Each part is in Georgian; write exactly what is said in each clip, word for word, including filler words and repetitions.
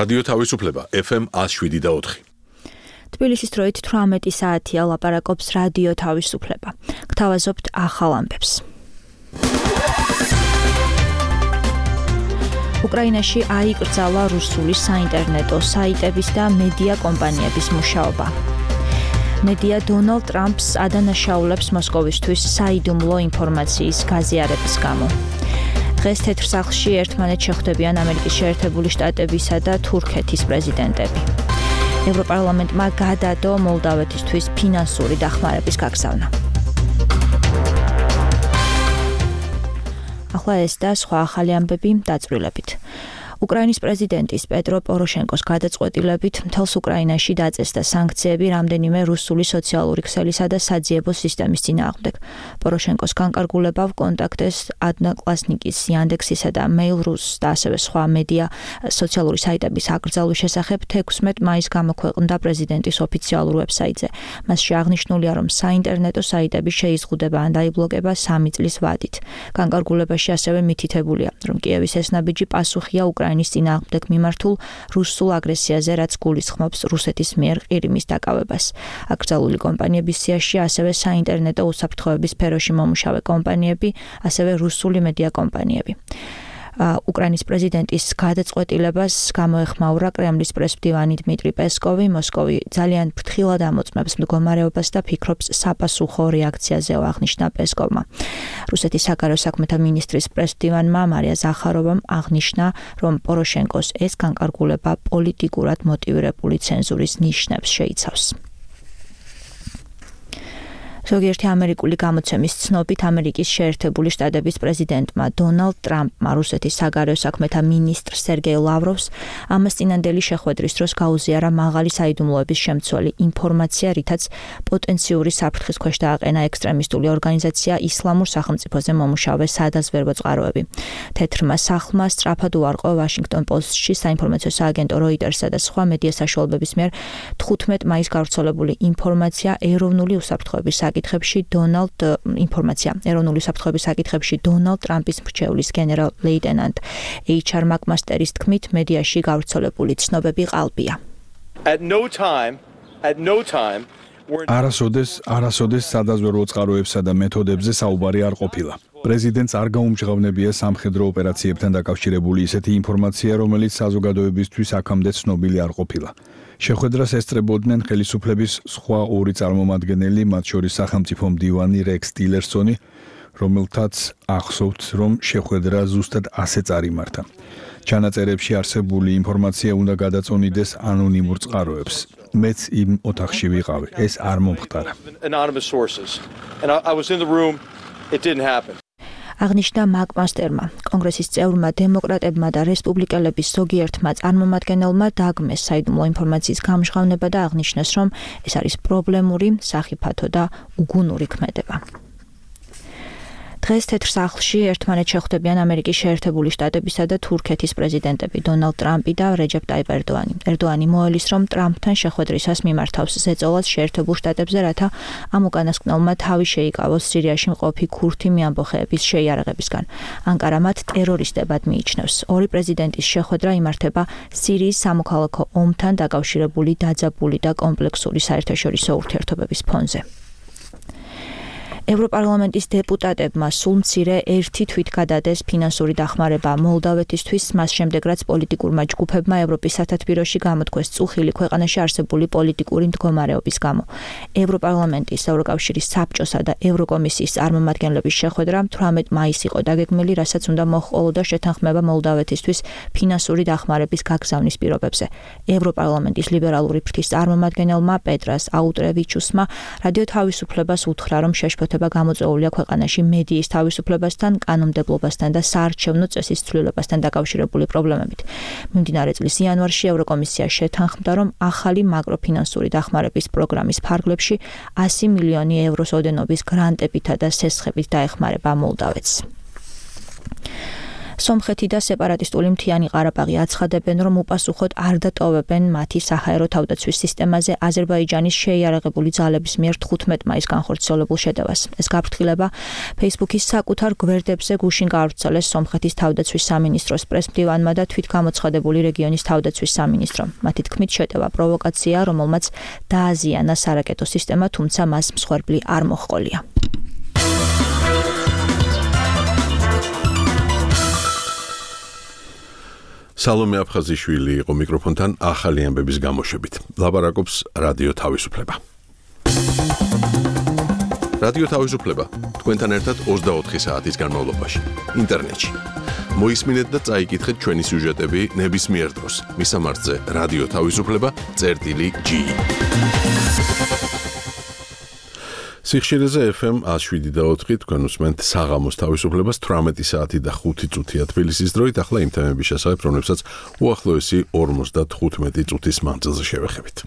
რადიო თავისუფლება ეფ ემ ათს შვიდი და ოთხი. თბილისის დროით თვრამეტი საათია ლაპარაკობს რადიო თავისუფლება. გთავაზობთ ახალ ამბებს. უკრაინაში აიკრძალა რუსული საინტერნეტო საიტების და მედია კომპანიების მუშაობა. მედია დონალდ ტრამპს ადანაშაულებს მოსკოვისთვის საიდუმლო ინფორმაციის გაზიარების გამო. დღეს თეთრ სახლში ერთმანეთს შეხვდებიან ამერიკის შეერთებული შტატებისა და თურქეთის პრეზიდენტები. ევროპარლამენტმა გადადო მოლდავეთისთვის ფინანსური დახმარების გაგზავნა. ახლა ეს და სხვა ახალი ამბები დაწვრილებით. უკრაინის პრეზიდენტის პეტრო პოროშენკოს გადაწყვეტილებით მთელს უკრაინაში დაწესდა სანქციები რამდენიმე რუსული სოციალური ქსელისა და საძიებო სისტემის წინააღმდეგ. პოროშენკოს განკარგულებამ კონტაქტეს ადნაკლასნიკის, იანდექსისა და მეილ.რუს და ასევე სხვა მედია სოციალური საიტების აკრძალვის შესახებ თექვსმეტ მაისს გამოქვეყნდა პრეზიდენტის ოფიციალურ ვებსაიტზე. მასში აღნიშნულია, რომ საინტერნეტო საიტები შეიზღუდება ან დაიბლოკება სამი წლის ვადით. განკარგულებაში ასევე მითითებულია, რომ კიევის ეს ნაბიჯი პასუხია უკრაინის წინააღმდეგ მიმართულ რუსულ აგრესიაზე, რაც გულისხმობს რუსეთის მიერ ყირიმის დაკავებას. აკრძალული კომპანიების სიაში ასევე საინტერნეტო უსაფრთხოების სფეროში მომუშავე კომპანიები, ასევე რუსული მედია კომპანიები. უკრაინის პრეზიდენტის გადაწყვეტილებას გამოეხმაურა კრემლის პრესმდივანი დმიტრი პესკოვი. მოსკოვი ძალიან ფრთხილად ამოწმებს მდგომარეობას და ფიქრობს საპასუხო რეაქციაზეო, აღნიშნა პესკოვმა. რუსეთის საგარეო საქმეთა მინისტრის პრესმდივანმა მარია ზახაროვამ აღნიშნა, რომ პოროშენკოს ეს განკარგულება პოლიტიკურად მოტივირებული ცენზურის ნიშნებს შეიცავს. ზოგიერთი ამერიკული გამოცემის ცნობით ამერიკის შეერთებული შტატების პრეზიდენტმა დონალდ ტრამპმა რუსეთის საგარეო საქმეთა მინისტრ სერგეი ლავროვს ამას წინანდელი შეხვედრის დროს გაუზიარა მაღალი საიდუმლოების შემცველი ინფორმაცია, რითაც პოტენციური საფრთხის ქვეშ დააყენა ექსტრემისტული ორგანიზაცია ისლამურ სახელმწიფოზე მომუშავე სადაზვერვო წყაროები. თეთრმა სახლმა სწრაფად უარყო ვაშინგტონ პოსტში საინფორმაციო სააგენტო როიტერსა და სხვა მედია საშუალებების მიერ თხუთმეტ მაისს გავრცელებული ინფორმაცია ეროვნული უსაფრთხოების საკითხებში დონალდ ინფორმაცია ეროვნული საფრთხეების საკითხებში დონალდ ტრამპის მრჩევლის გენერალ ლეიტენანტ ეიჩ არ მაკმასტერის თქმით, მედიაში გავრცელებული ცნობები ყალბია. არასოდეს არასოდეს სადაზვერვო წყაროებსა და მეთოდებზე საუბარი არ ყოფილა. პრეზიდენტს არ გაუმჟღავნებია სამხედრო ოპერაციებთან დაკავშირებული ისეთი ინფორმაცია, რომელიც საზოგადოებისთვის აქამდე ცნობილი არ ყოფილა. შეხვედრას ესწრებოდნენ ხელისუფლების სხვა ორი წარმომადგენელი, მათ შორის სახელმწიფო მდივანი რექს ტილერსონი, რომელთაც ახსოვთ, რომ შეხვედრა ზუსტად ასე წარიმართა. ჩანაწერებში არსებული ინფორმაცია უნდა გადაწონიდეს ანონიმურ წყაროებს. მეც იმ ოთახში ვიყავი, ეს არ მომხდარა. აღნიშნა მაკმასტერმა. კონგრესის წევრმა, დემოკრატებმა და რესპუბლიკელების ზოგიერთმა წარმომადგენელმა დაგმეს საიდუმლო ინფორმაციის გამჟღავნება და აღნიშნეს, რომ ეს არის პრობლემური, სახიფათო და უგუნური ქმედება. დღეს თეთრ სახლში ერთმანეთს შეხვდებიან ამერიკის შეერთებული შტატებისა და თურქეთის პრეზიდენტები დონალდ ტრამპი და რეჯეპ ტაიპ ერდოანი. ერდოანი მოელის, რომ ტრამპთან შეხვედრისას მიმართავს ზეწოლას შეერთებულ შტატებზე, რათა ამ უკანასკნელმა თავი შეიკავოს სირიაში მყოფი ქურთი მეამბოხეების შეიარაღებისგან. ანკარა მათ ტერორისტებად მიიჩნევს. ორი პრეზიდენტის შეხვედრა იმართება სირიის სამოქალაქო ომთან დაკავშირებული დაძაბული და კომპლექსური საერთაშორისო ურთიერთობების ფონზე. ევროპარლამენტის დეპუტატებმა სულ მცირე ერთი თვით გადადეს ფინანსური დახმარება მოლდავეთისთვის, მას შემდეგ რაც პოლიტიკურმა ჯგუფებმა ევროპის სათათბიროში გამოთქვეს წუხილი ქვეყანაში არსებული პოლიტიკური მდგომარეობის გამო. ევროპარლამენტის, ევროკავშირის საბჭოსა და ევროკომისიის წარმომადგენლების შეხვედრა თვრამეტ მაისს იყო დაგეგმილი, რასაც უნდა მოჰყოლოდა შეთანხმება მოლდავეთისთვის ფინანსური დახმარების გაგზავნის პირობებზე. ევროპარლამენტის ლიბერალური ფრთის წარმომადგენელმა პეტრას აუტრევიჩუსმა რადიო თავისუფლებას უთხრა, რომ შეშფოთება გამოწვეულია ქვეყანაში მედიის თავისუფლებასთან, კანონმდებლობასთან და საარჩევნო წესის ცვლილებასთან დაკავშირებული პრობლემებით. მიმდინარე წლის იანვარში ევროკომისია შეთანხმდა, რომ ახალი მაკროფინანსური დახმარების პროგრამის ფარგლებში ასი მილიონი ევროს ოდენობის გრანტებითა და სესხებით დაეხმარება მოლდავეთს. სომხეთი და სეპარატისტული მთიანი ყარაბაღი აცხადებენ, რომ უპასუხოდ არ დატოვებენ მათი საჰაერო თავდაცვის სისტემაზე აზერბაიჯანის შეიარაღებული ძალების მიერ თხუთმეტ მაისს განხორციელებულ შეტევას. ეს გაფრთხილება Facebook-ის საკუთარ გვერდებზე გუშინ გაავრცელეს სომხეთის თავდაცვის სამინისტროს პრესმდივანმა და თვითგამოცხადებული რეგიონის თავდაცვის სამინისტრომ. მათი თქმით, შეტევა პროვოკაცია, რომელმაც დააზიანა სარაკეტო სისტემა, თუმცა მას მსხვერპლი არ მოჰყოლია. სალომე აფხაზიშვილი იყო მიკროფონთან ახალი ამბების გამოშვებით. ლაპარაკობს რადიო თავისუფლება. რადიო თავისუფლება თქვენთან ერთად ოცდაოთხი საათის განმავლობაში ინტერნეტში. მოისმინეთ და წაიკითხეთ ჩვენი სიუჟეტები ნებისმიერ დროს. მისამართზე რადიო თავისუფლება წერტილი ჯი. სიხშირეზე ეფ ემ ათს შვიდი და ოთხი თქვენ უსმენთ საღამოს თავისუფლებას თვრამეტი საათი და ხუთი წუთია თბილისის დროით. ახლა იმ თემების შესახებ, რომლებსაც უახლოესი ორმოცდათხუთმეტი წუთის მანძილზე შევეხებით.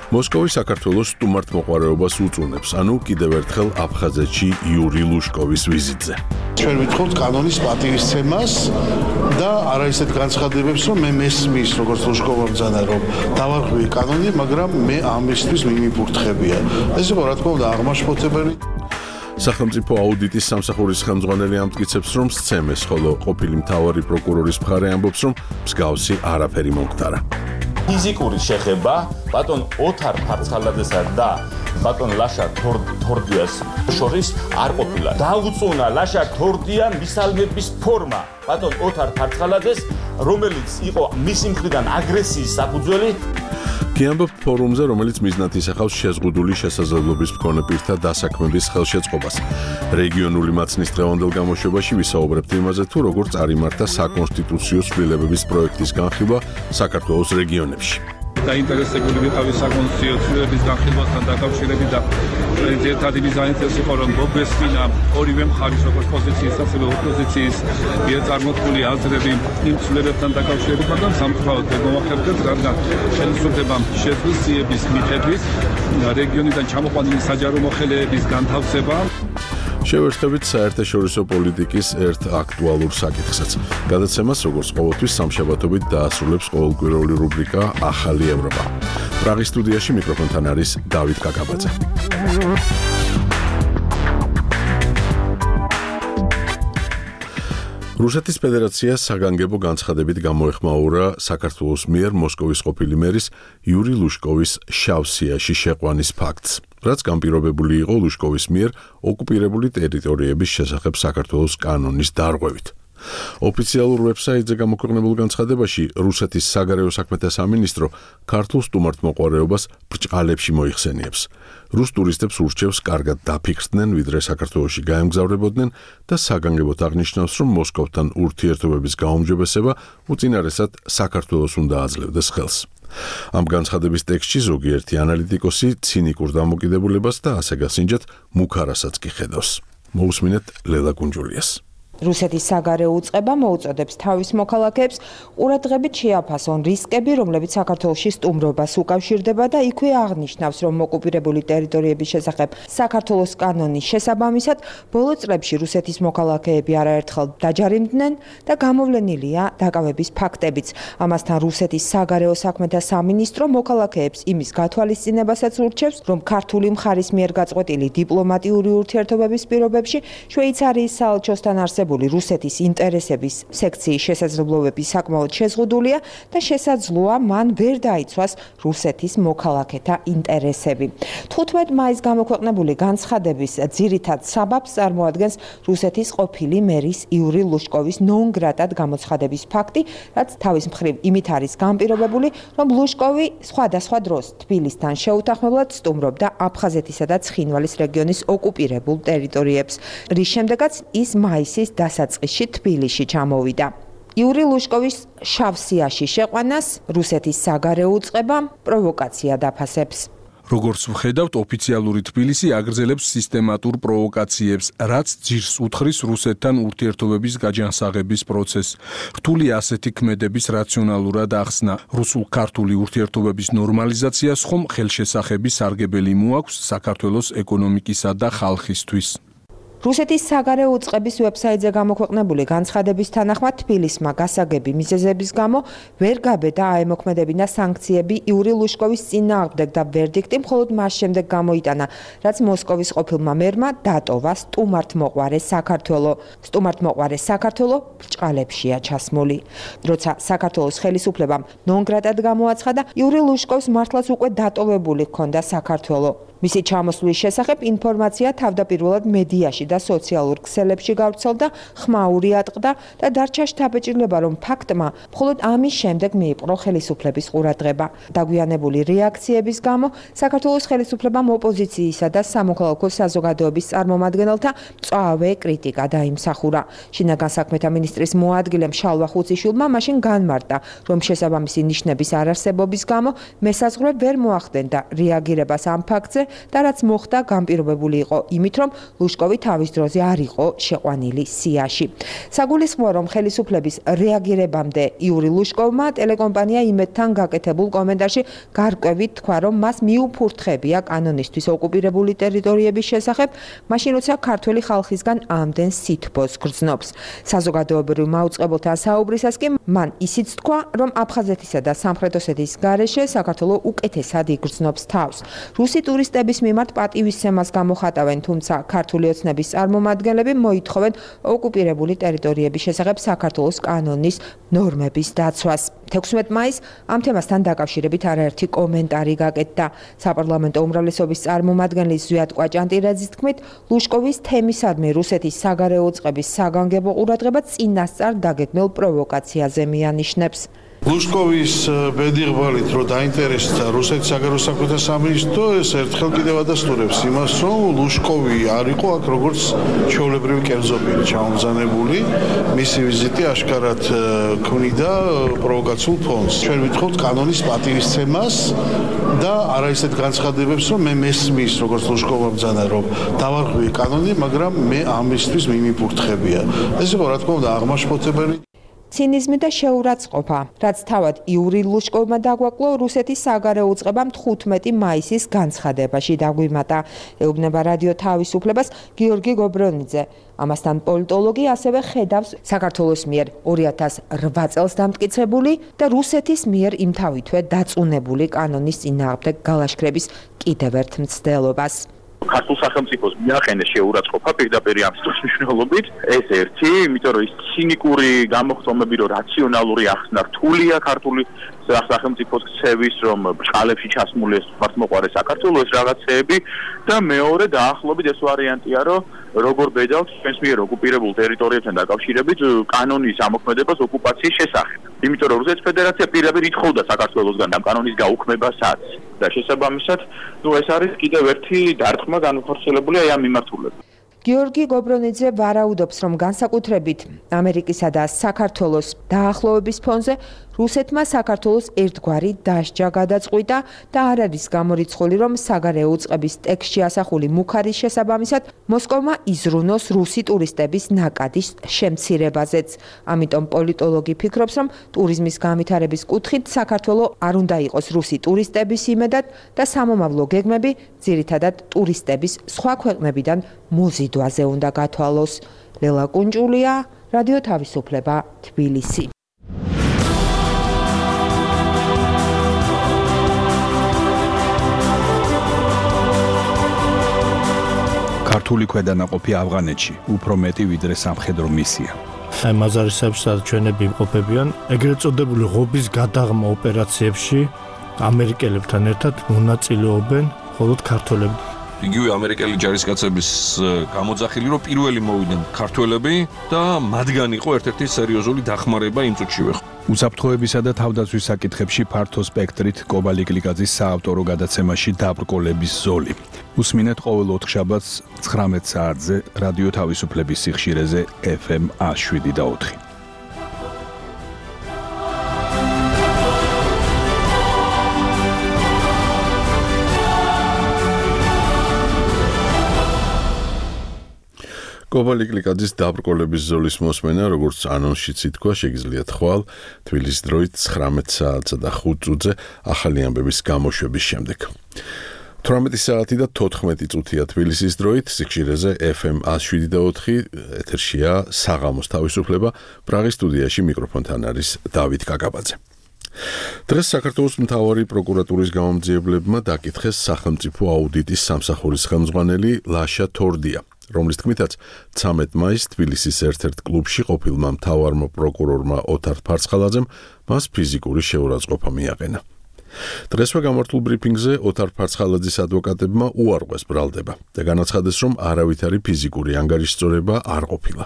მოსკოვი საქართველოს სტუმართმოყვარეობას უწუნებს, ანუ კიდევ ერთხელ აფხაზეთში იური ლუშკოვის ვიზიტზე. ჩვენ ვითხოვთ კანონის პატივისცემას და არა ისეთ განცხადებებს, რომ მე მესმის, როგორც ლუშკოვმა ბრძანა, რომ დავარღვიე კანონი, მაგრამ მე ამისთვის მიმიფურთხებია. ეს იყო რა თქმა უნდა აღმაშფოთებელი. სახელმწიფო აუდიტის სამსახურის ხელმძღვანელი ამტკიცებს, რომ სცემეს, ხოლო ყოფილი მთავარი პროკურორის მხარე ამბობს, რომ მსგავსი არაფერი მომხდარა. ფიზიკური შეხება ბატონ ოთარ ფარცხალაძესა და ბატონ ლაშა თორდიას შორის არ ყოფილა. დაუწუნა ლაშა თორდია მისალმების ფორმა ბატონ ოთარ ფარცხალაძეს, რომელიც იყო მისი მხრიდან აგრესიის საფუძველი. გიამბობ ფორუმზე, რომელიც მიზნად ისახავს შეზღუდული შესაძლებლობის მქონე პირთა დასაქმების ხელშეწყობას. რეგიონული მაცნის დღევანდელ გამოშვებაში ვისაუბრებთ იმაზე, თუ როგორ წარიმართა საკონსტიტუციო ცვლილებების პროექტის განხილვა საქართველოს რეგიონებში. დაინტერესებული ვიყავი საკონსტიტუციო ცვლილებების განხილვასთან დაკავშირებით და ერთადერთი მიზანიც იყო, რომ მოგვესმინა ორივე მხარის, როგორც პოზიციის, ასევე ოპოზიციის მიერ წარმოთქმული აზრები იმ ცვლილებებთან დაკავშირებით, მაგრამ სამწუხაროდ მოგახერხეთ, რადგან ხელისუფლებამ შეძლოს მიხედვით რეგიონიდან ჩამოყვანილი საჯარო მოხელეების განთავსება. შევერცხებით საერთაშორისო პოლიტიკის ერთ აქტუალურ საკითხსაც. გადაცემას, როგორც ყოველთვის, სამშაბათობით დაასრულებს ყოველკვირეული რუბრიკა ახალი ევროპა. პრაღის სტუდიაში მიკროფონთან არის დავით კაკაბაძე. რუსეთის ფედერაციას საგანგებო განცხადებით გამოეხმაურა საქართველოს მიერ მოსკოვის ყოფილი მერის იური ლუშკოვის შავ სიაში შეყვანის ფაქტს, რაც განპირობებული იყო ლუშკოვის მიერ ოკუპირებული ტერიტორიების შესახებ საქართველოს კანონის დარღვევით. ოფიციალურ ვებსაიტზე გამოქვეყნებულ განცხადებაში რუსეთის საგარეო საქმეთა სამინისტრო ქართულ სტუმართმოყვარეობას ბრჭყალებში მოიხსენიებს. რუს ტურისტებს ურჩევს კარგად დაფიქრდნენ, ვიდრე საქართველოში გაემგზავრებოდნენ და საგანგებოდ აღნიშნავს, რომ მოსკოვთან ურთიერთობების გაუმჯობესება უწინარესად საქართველოს უნდა აძლევდეს ხელს. ამ განცხადების ტექსტში ზოგიერთი ანალიტიკოსი ცინიკურ დამოკიდებულებას და ასე გასინჯათ მუქარასაც კი ხედავს. მოусმინეთ ლელა კუნჯულიას. რუსეთის საგარეო უწყება მოუწოდებს თავის მოქალაქეებს ყურადღებით შეაფასონ რისკები, რომლებიც საქართველოში სტუმრობას უკავშირდება და იქვე აღნიშნავს, რომ ოკუპირებული ტერიტორიების შესახებ საქართველოს კანონის შესაბამისად ბოლო წლებში რუსეთის მოქალაქეები არაერთხელ დაჯარიმდნენ და გამოვლენილია დაკავების ფაქტებიც. ამასთან რუსეთის საგარეო საქმეთა სამინისტრო მოქალაქეებს იმის გათვალისწინებასაც ურჩევს, რომ ქართული მხარის მიერ გაწყვეტილი დიპლომატიური ურთიერთობების პირობებში შვეიცარიის საელჩოსთან არსებულ რუსეთის ინტერესების სექციის შესაძლებლობები საკმაოდ შეზღუდულია და შესაძლოა მან ვერ დაიცვას რუსეთის მოქალაქეთა ინტერესები. თხუთმეტ მაისს გამოქვეყნებული განცხადების ძირითად საბაბს წარმოადგენს რუსეთის ყოფილი მერის იური ლუშკოვის ნონ-გრატად გამოცხადების ფაქტი, რაც თავის მხრივ იმით არის განპირობებული, რომ ლუშკოვი სხვადასხვა დროს თბილისთან შეუთანხმებლად სტუმრობდა აფხაზეთისა და ცხინვალის რეგიონის ოკუპირებულ ტერიტორიებს, რის შემდეგაც ის მაისის დასაწყისში თბილისში ჩამოვიდა. იური ლუშკოვის შავ სიაში შეყვანას რუსეთის საგარეო უწყება პროვოკაცია დაფასებს. როგორც ვხედავთ, ოფიციალური თბილისი აგრძელებს სისტემატურ პროვოკაციებს, რაც ძირს უთხრის რუსეთთან ურთიერთობების გაჯანსაღების პროცესს. რთული ასეთი ქმედების რაციონალურად ახსნა. რუსულ-ქართული ურთიერთობების ნორმალიზაციას ხომ ხელშესახები სარგებელი მოაქვს საქართველოს ეკონომიკისა და ხალხისთვის. რუსეთის საგარეო უწყების ვებსაიტზე გამოქვეყნებული განცხადების თანახმად თბილისმა გასაგები მიზეზების გამო ვერ გაბედა აემოქმედებინა სანქციები იური ლუშკოვის წინააღმდეგ და ვერდიქტი მხოლოდ მას შემდეგ გამოიტანა, რაც მოსკოვის ყოფილმა მერმა დატოვა სტუმართმოყვარე საქართველო. სტუმართმოყვარე საქართველო ბრჭყალებშია ჩასმული. როცა საქართველოს ხელისუფლებამ ნონგრატად გამოაცხადა, იური ლუშკოვს მართლაც უკვე დატოვებული ჰქონდა საქართველო. მისი ჩამოსვლის შესახებ ინფორმაცია თავდაპირველად მედიაში და სოციალურ ქსელებში გავრცელდა, ხმაური ატყდა და დარჩა შთაბეჭდილება, რომ ფაქტმა მხოლოდ ამის შემდეგ მიიპყრო ხელისუფლების ყურადღება. დაგვიანებული რეაქციების გამო საქართველოს ხელისუფლებამ ოპოზიციისა და სამოქალაქო საზოგადოების წარმომადგენელთა მწვავე კრიტიკა დაიმსახურა. შინაგან საქმეთა მინისტრის მოადგილემ შალვა ხუციშვილმა მაშინ განმარტა, რომ შესაბამისი ნიშნების არარსებობის გამო მესაზღვრე ვერ მოახდენდა რეაგირებას ამ ფაქტზე და რაც მოხდა განპირობებული იყო იმით, რომ ლუშკოვი თავის დროზე არ იყო შეყვანილი სიაში. საგულისხმოა, რომ ხელისუფლების რეაგირებამდე იური ლუშკოვმა ტელეკომპანია იმედთან გაკეთებულ კომენტარში გარკვევით თქვა, რომ მას მიუფურთხებია კანონისთვის ოკუპირებული ტერიტორიების შესახებ, მაშინ როცა ქართველი ხალხისგან ამდენ სითბოს გრძნობს. საზოგადოებრივ მაუწყებელთან საუბრისას კი მან ისიც თქვა, რომ აფხაზეთისა და სამხრეთ ოსეთის გარეშე საქართველო უკეთესად იგრძნობს თავს. რუსი ტურისტების მიმართ პატივისცემას გამოხატავენ, თუმცა ქართული ოცნების წარმომადგენლები მოითხოვენ ოკუპირებული ტერიტორიების შესახებ საქართველოს კანონის ნორმების დაცვას. თექვსმეტ მაისს ამ თემასთან დაკავშირებით არაერთი კომენტარი გაკეთდა. საპარლამენტო უმრავლესობის წარმომადგენლის ზვიად კვაჭანტირაძის თქმით, ლუშკოვის თემისადმი რუსეთის საგარეო უწყების საგანგებო ყურადღება წინასწარ დაგეგმილ პროვოკაციაზე მიანიშნებს. ლუშკოვის ბედიღბალით რო დაინტერესდა რუსეთის საგარეო საქმეთა სამინისტრო, ეს ერთხელ კიდევ ადასტურებს იმას, რომ ლუშკოვი არ იყო აქ როგორც ჩვეულებრივი კერძობილი ჩამომზანებული. მისი ვიზიტი აშკარად ქმნიდა პროვოკაციულ ფონს. ჩვენ ვითხოვთ კანონის პატივისცემას და არა ისეთ განცხადებებს, რომ მე მესმის როგორც ლუშკოვმა ბრძანა, რომ დავარღვიე კანონი, მაგრამ მე ამისთვის მიმიფურთხებია. ეს იყო რა თქმა უნდა აღმაშფოთებელი. ცინიზმი და შეურაცხყოფა, რაც თავად იური ლუშკოვმა დაგვაკლო რუსეთის საგარეო უწყებამ თხუთმეტი მაისის განცხადებაში დაგვიმატა. ეუბნება რადიო თავისუფლებას გიორგი გობრონიძე. ამასთან პოლიტოლოგი ასევე ხედავს საქართველოს მიერ ორი ათას რვა წელს დამტკიცებული და რუსეთის მიერ იმთავითვე დაწუნებული კანონის წინააღმდეგ გალაშქრების კიდევ ერთ მცდელობას. ქართულ სახელმწიფოს მიაყენეს შეურაცხყოფა პირდაპირ ამ სიტყვის მნიშვნელობით. ეს ერთი, იმიტომ რომ ის ცინიკური გამოხდომები, რომ რაციონალური ახსნა რთულია ქართული სახელმწიფოს ქცევის, რომ ბრჭყალებში ჩასმული ეს მართლმოყვარე საქართველოს ეს რაღაცეები და მეორე დაახლოებით ეს ვარიანტია, რომ როგორ ბედავთ ჩვენს მიერ ოკუპირებულ ტერიტორიებთან დაკავშირებით კანონის ამოქმედებას ოკუპაციის შესახებ. იმიტომ რომ რუსეთის ფედერაცია პირდაპირ ითხოვდა საქართველოსგან ამ კანონის გაუქმებასაც და შესაბამისად, ნუ ეს არის კიდევ ერთი დარტყმა განხორციელებული აი ამ მიმართულებით. გიორგი გობრონიძე ვარაუდობს, რომ განსაკუთრებით ამერიკისა და საქართველოს დაახლოების ფონზე რუსეთმა საქართველოს ერთგვარი დასჯა გადაწყვიტა და არ არის გამორიცხული, რომ საგარეო უწყების ტექსტში ასახული მუხარის შესაბამისად მოსკოვმა იზრუნოს რუსი ტურისტების ნაკადის შემცირებაზეც. ამიტომ პოლიტოლოგი ფიქრობს, რომ ტურიზმის განვითარების კუთხით საქართველო არ უნდა იყოს რუსი ტურისტების იმედად და სამომავლო გეგმები ძირითადად ტურისტების სხვა ქვეყნებიდან მოზიდვაზე უნდა გათვალოს. ლელა კუნჭულია, რადიო თავისუფლება, თბილისი. ქართული ქვედანაყოფი ავღანეთში უფრო მეტი ვიდრე სამხედრო მისია. აი მაზარისეებს და ჩვენები იმყოფებიან ეგრეთ წოდებული ღობის გადაღმა ოპერაციებში ამერიკელებთან ერთად მონაწილეობენ მხოლოდ ქართველები. იგივე ამერიკელი ჯარისკაცების გამოძახილი, რომ პირველი მოვიდნენ ქართველები და მათგან იყო ერთ-ერთი სერიოზული დახმარება იმ წუთშივე. უსაფრთხოებისა და თავდაცვის საკითხებში ფართო სპექტრით კობალი გლიკაძის საავტორო გადაცემაში დაბრკოლების ზოლი. უსმინეთ ყოველ ოთხშაბათს ცხრამეტ საათზე რადიო თავისუფლების სიხშირეზე ეფ ემ შვიდ და ოთხი. კობალი კლიკაძის დაბრკოლების ზოლის მოსმენა, როგორც ანონსშიც ითქვა, შეგიძლიათ ხვალ თბილისის დროით ცხრამეტ საათსა და ხუთ წუთზე ახალი ამბების გამოშვების შემდეგ. თვრამეტი საათი და თოთხმეტი წუთია თბილისის დროით, სიხშირეზე ეფ ემ ათს შვიდი და ოთხი, ეთერშია საღამოს თავისუფლება, პრაღის სტუდიაში მიკროფონთან არის დავით კაკაბაძე. დღეს საქართველოს მთავარი პროკურატურის გამომძიებლებმა დაკითხეს სახელმწიფო აუდიტის სამსახურის ხელმძღვანელი ლაშა თორდია, რომლის თქმითაც ცამეტ მაისს თბილისის ერთ-ერთ კლუბში ყოფილმა მთავარმა პროკურორმა ოთარ ფარცხალაძემ მას ფიზიკური შეურაცხყოფა მიაყენა. დღესვე გამართულ ბრიფინგზე ოთარ ფარცხალაძის ადვოკატებმა უარყვეს ბრალდება და განაცხადეს, რომ არავითარი ფიზიკური ანგარიშწორება არ ყოფილა.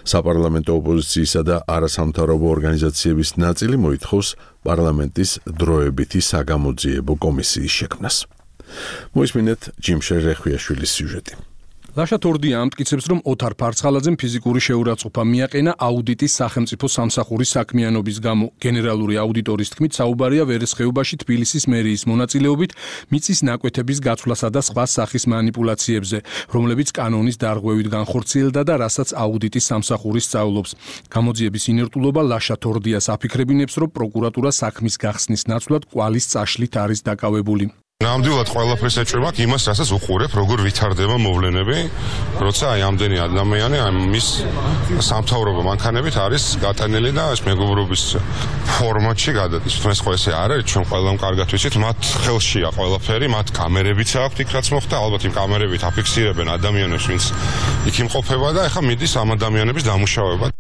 საპარლამენტო ოპოზიციისა და არასამთავრობო ორგანიზაციების ნაწილი მოითხოვს პარლამენტის დროებითი საგამოძიებო კომისიის შექმნას. მოისმინეთ ჯიმშე რეხვიაშვილის სიუჟეტი. ლაშა თორდია ამტკიცებს, რომ ოთარ ფარცხალაძემ ფიზიკური შეურაცხყოფა მიაყენა აუდიტის სახელმწიფო სამსახურის საქმიანობის გამო. გენერალური აუდიტორის თქმით, საუბარია ვერესხეობაში თბილისის მერიის მონაწილეობით მიწის ნაკვეთების გაცვლასა და სხვა სახის მანიპულაციებზე, რომლებიც კანონის დარღვევით განხორციელდა და რასაც აუდიტის სამსახური სწავლობს. გამოძიების ინერტულობა ლაშა თორდიას აფიქრებინებს, რომ პროკურატურა საქმის გახსნის ნაცვლად კვალის წაშლით არის დაკავებული. ნამდვილად ყველაფერს ეჭვმაქ იმას, რასაც უყურებ, როგორ ვითარდება მოვლენები, როცა აი ამდენი ადამიანი აი მის სამთავრობო მანქანებით არის გატანილი და ეს მეგობრობის ფორმატში გადადის. ეს ხო ესე არ არის, ჩვენ ყველამ კარგად ვიცით, მათ ხელშია ყველაფერი, მათ კამერებიც აქვთ იქ რაც მოხდა, ალბათ იმ კამერებით აფიქსირებენ ადამიანებს, ვინც იქ იმყოფება და ეხლა მიდის ამ ადამიანების დამუშავება.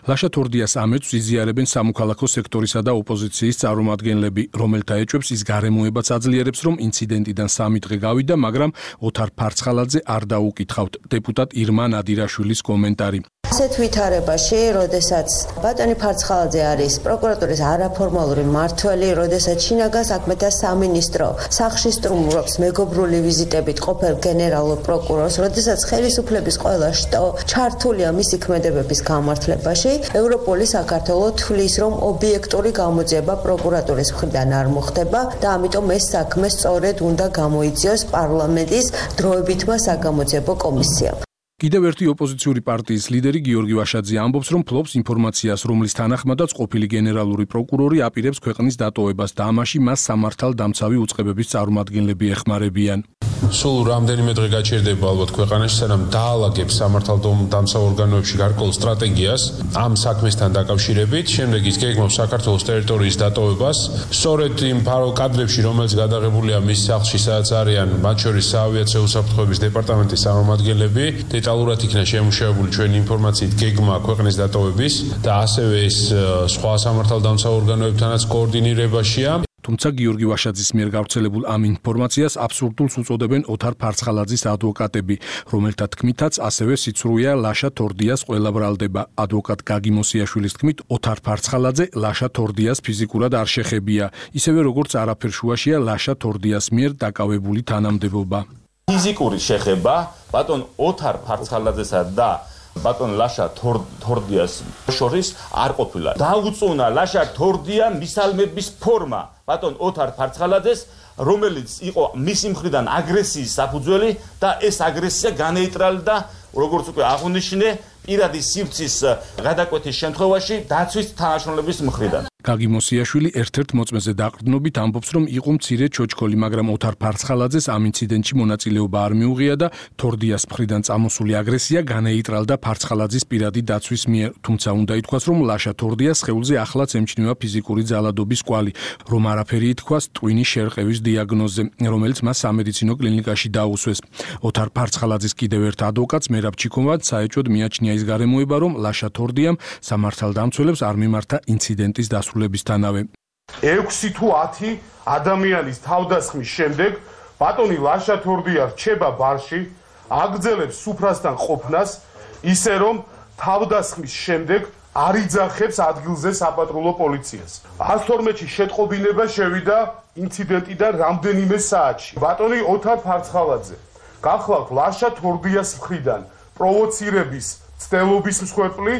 ლაშა თორდიას ამეწს იზიარებენ სამოქალაქო სექტორისა და ოპოზიციის წარმომადგენლები, რომელთა ეჭვებს ის გარემოებაც აძლიერებს, რომ ინციდენტიდან სამი დღე გავიდა, მაგრამ ოთარ ფარცხალაძე არ დაუკითხავთ. დეპუტატ ირმა ნადირაშვილის კომენტარი. ასეთ ვითარებაში, როდესაც ბატონი ფარცხალაძე არის პროკურატურის არაფორმალური მმართველი, როდესაც შინაგან საქმეთა სამინისტრო სახლში სტუმრობს მეგობრული ვიზიტებით ყოფილ გენერალურ პროკურორს, როდესაც ხელისუფლების ყველა შტო ჩართულია მისი ქმედებების გამართლებაში, ევროპული საქართველო თვლის, რომ ობიექტური გამოძიება პროკურატურის მხრიდან არ მოხდება და ამიტომ ეს საქმე სწორედ უნდა გამოიძიოს პარლამენტის დროებითმა საგამოძიებო კომისიამ. კიდევ ერთი ოპოზიციური პარტიის ლიდერი გიორგი ვაშაძე ამბობს, რომ ფლობს ინფორმაციას, რომლის თანახმადაც ყოფილი გენერალური პროკურორი აპირებს ქვეყნის დატოვებას და ამაში მას სამართალდამცავი უწყებების წარმომადგენლები ეხმარებიან. სულ რამდენიმე დღე გაჩერდება ალბათ ქვეყანაში, სანამ დაალაგებს სამართალდამცავ ორგანოებში გარკვეულ სტრატეგიას ამ საქმესთან დაკავშირებით, შემდეგ ის გეგმავს საქართველოს ტერიტორიის დატოვებას. სწორედ იმ კადრებში, რომელიც გადაღებულია მის სახლში, სადაც არიან მათ შორის საავიაციო უსაფრთხოების დეპარტამენტის წარმომადგენლები, დეტალურად იქნა შემუშავებული ჩვენი ინფორმაციით გეგმა ქვეყნის დატოვების და ასევე ეს სხვა სამართალდამცავ ორგანოებთანაც კოორდინირებაშია. თუმცა გიორგი ვაშაძის მიერ გავრცელებულ ამ ინფორმაციას აბსურდულს უწოდებენ ოთარ ფარცხალაძის ადვოკატები, რომელთა თქმითაც ასევე სიცრუეა ლაშა თორდიას ყველა ბრალდება. ადვოკატ გაგი მოსიაშვილის თქმით, ოთარ ფარცხალაძე ლაშა თორდიას ფიზიკურად არ შეხებია, ისევე როგორც არაფერ შუაშია ლაშა თორდიას მიერ დაკავებული თანამდებობა. ფიზიკური შეხება ბატონ ოთარ ფარცხალაძესა და ბატონ ლაშა თორდიას შორის არ ყოფილა. დაუწუნა ლაშა თორდია მისალმების ფორმა ბატონ ოთარ ფარცხალაძეს, რომელიც იყო მისი მხრიდან აგრესიის საფუძველი და ეს აგრესია განეიტრალდა, როგორც უკვე აღნიშნე, პირადი სივრცის გადაკვეთის შემთხვევაში დაცვის თანაშრომლების მხრიდან. გაგი მოსიაშვილი ერთ-ერთ მოწმეზე დაყრდნობით ამბობს, რომ იყო მცირე ჩოჩქოლი, მაგრამ ოთარ ფარცხალაძეს ამ ინციდენტში მონაწილეობა არ მიუღია და თორდიას მხრიდან წამოსული აგრესია განეიტრალდა ფარცხალაძის პირადი დაცვის მიერ. თუმცა უნდა ითქვას, რომ ლაშა თორდიას სხეულზე ახლაც ემჩნევა ფიზიკური ძალადობის კვალი, რომ არაფერი ითქვას ტვინის შერყევის დიაგნოზზე, რომელიც მას სამედიცინო კლინიკაში დაუსვეს. ოთარ ფარცხალაძის კიდევ ერთ ადვოკატს მერაბ ჩიქოვად საეჭვოდ მიაჩნია ის გარემოება, რომ ლაშა თორდიამ სამართალდამცველებს არ მიმართა ინციდენტის დასრულებისთანავე. ექვსი თუ ათი ადამიანის თავდასხმის შემდეგ ბატონი ლაშა თორდია რჩება ბარში, აგრძელებს სუფრასთან ყოფნას, ისე რომ თავდასხმის შემდეგ არ იძახებს ადგილზე საპატრულო პოლიციას. ას თორმეტში შეტყობინება შევიდა ინციდენტიდან რამდენიმე საათში. ბატონი ოთარ ფარცხალაძე გახლავთ ლაშა თორდიას მხრიდან პროვოცირების ცდელობის მსხვერპლი,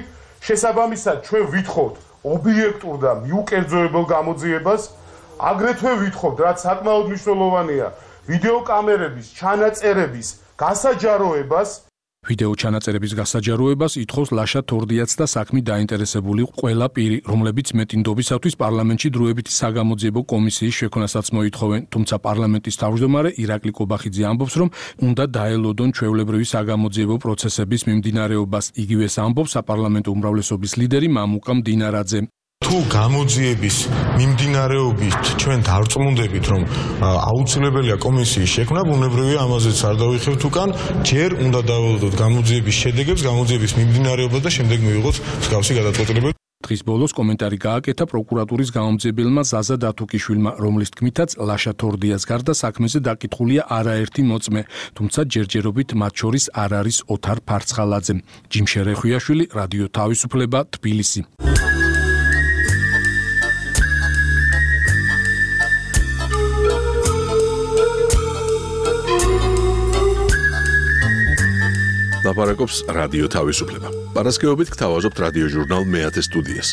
შესაბამისად ჩვენ ვითხოვთ ობიექტურ და მიუკერძოებელ გამოძიებას, აგრეთვე ვითხოვთ, რაც საკმაოდ მნიშვნელოვანია, ვიდეო კამერების ჩანაწერების გასაჯაროებას. ვიდეო ჩანაწერების გასაჯაროებას ითხოვს ლაშა თორდიაც და საქმით დაინტერესებული ყველა პირი, რომლებიც მეტინდობისათვის პარლამენტში დროებითი საგამოძიებო კომისიის შექმნასაც მოითხოვენ, თუმცა პარლამენტის თავმჯდომარე ირაკლი კობახიძე ამბობს, რომ უნდა დაელოდონ ჩვეულებრივი საგამოძიებო პროცესების მიმდინარეობას. იგივეს ამბობს საპარლამენტო უმრავლესობის ლიდერი მამუკა მდინარაძე. თუ გამოძიების მიმდინარეობით ჩვენ დარწმუნდებით, რომ აუცილებელია კომისიის შექმნა, ბუნებრივია ამაზეც არ დავიხევთ უკან, ჯერ უნდა დაველოდოთ გამოძიების შედეგებს, გამოძიების მიმდინარეობა და შემდეგ მივიღოთ მსგავსი გადაწყვეტილება. დღის ბოლოს კომენტარი გააკეთა პროკურატურის გამომძიებელმა ზაზა დათუკიშვილმა, რომლის თქმითაც ლაშა თორდიას გარდა საქმეზე დაკითხულია არაერთი მოწმე, თუმცა ჯერჯერობით მათ შორის არ არის ოთარ ფარცხალაძე. ჯიმშე რეხვიაშვილი, რადიო თავისუფლება, თბილისი. ლაპარაკობს რადიო თავისუფლება. პარასკევობით გთავაზობთ რადიო ჟურნალ მეათე სტუდიას,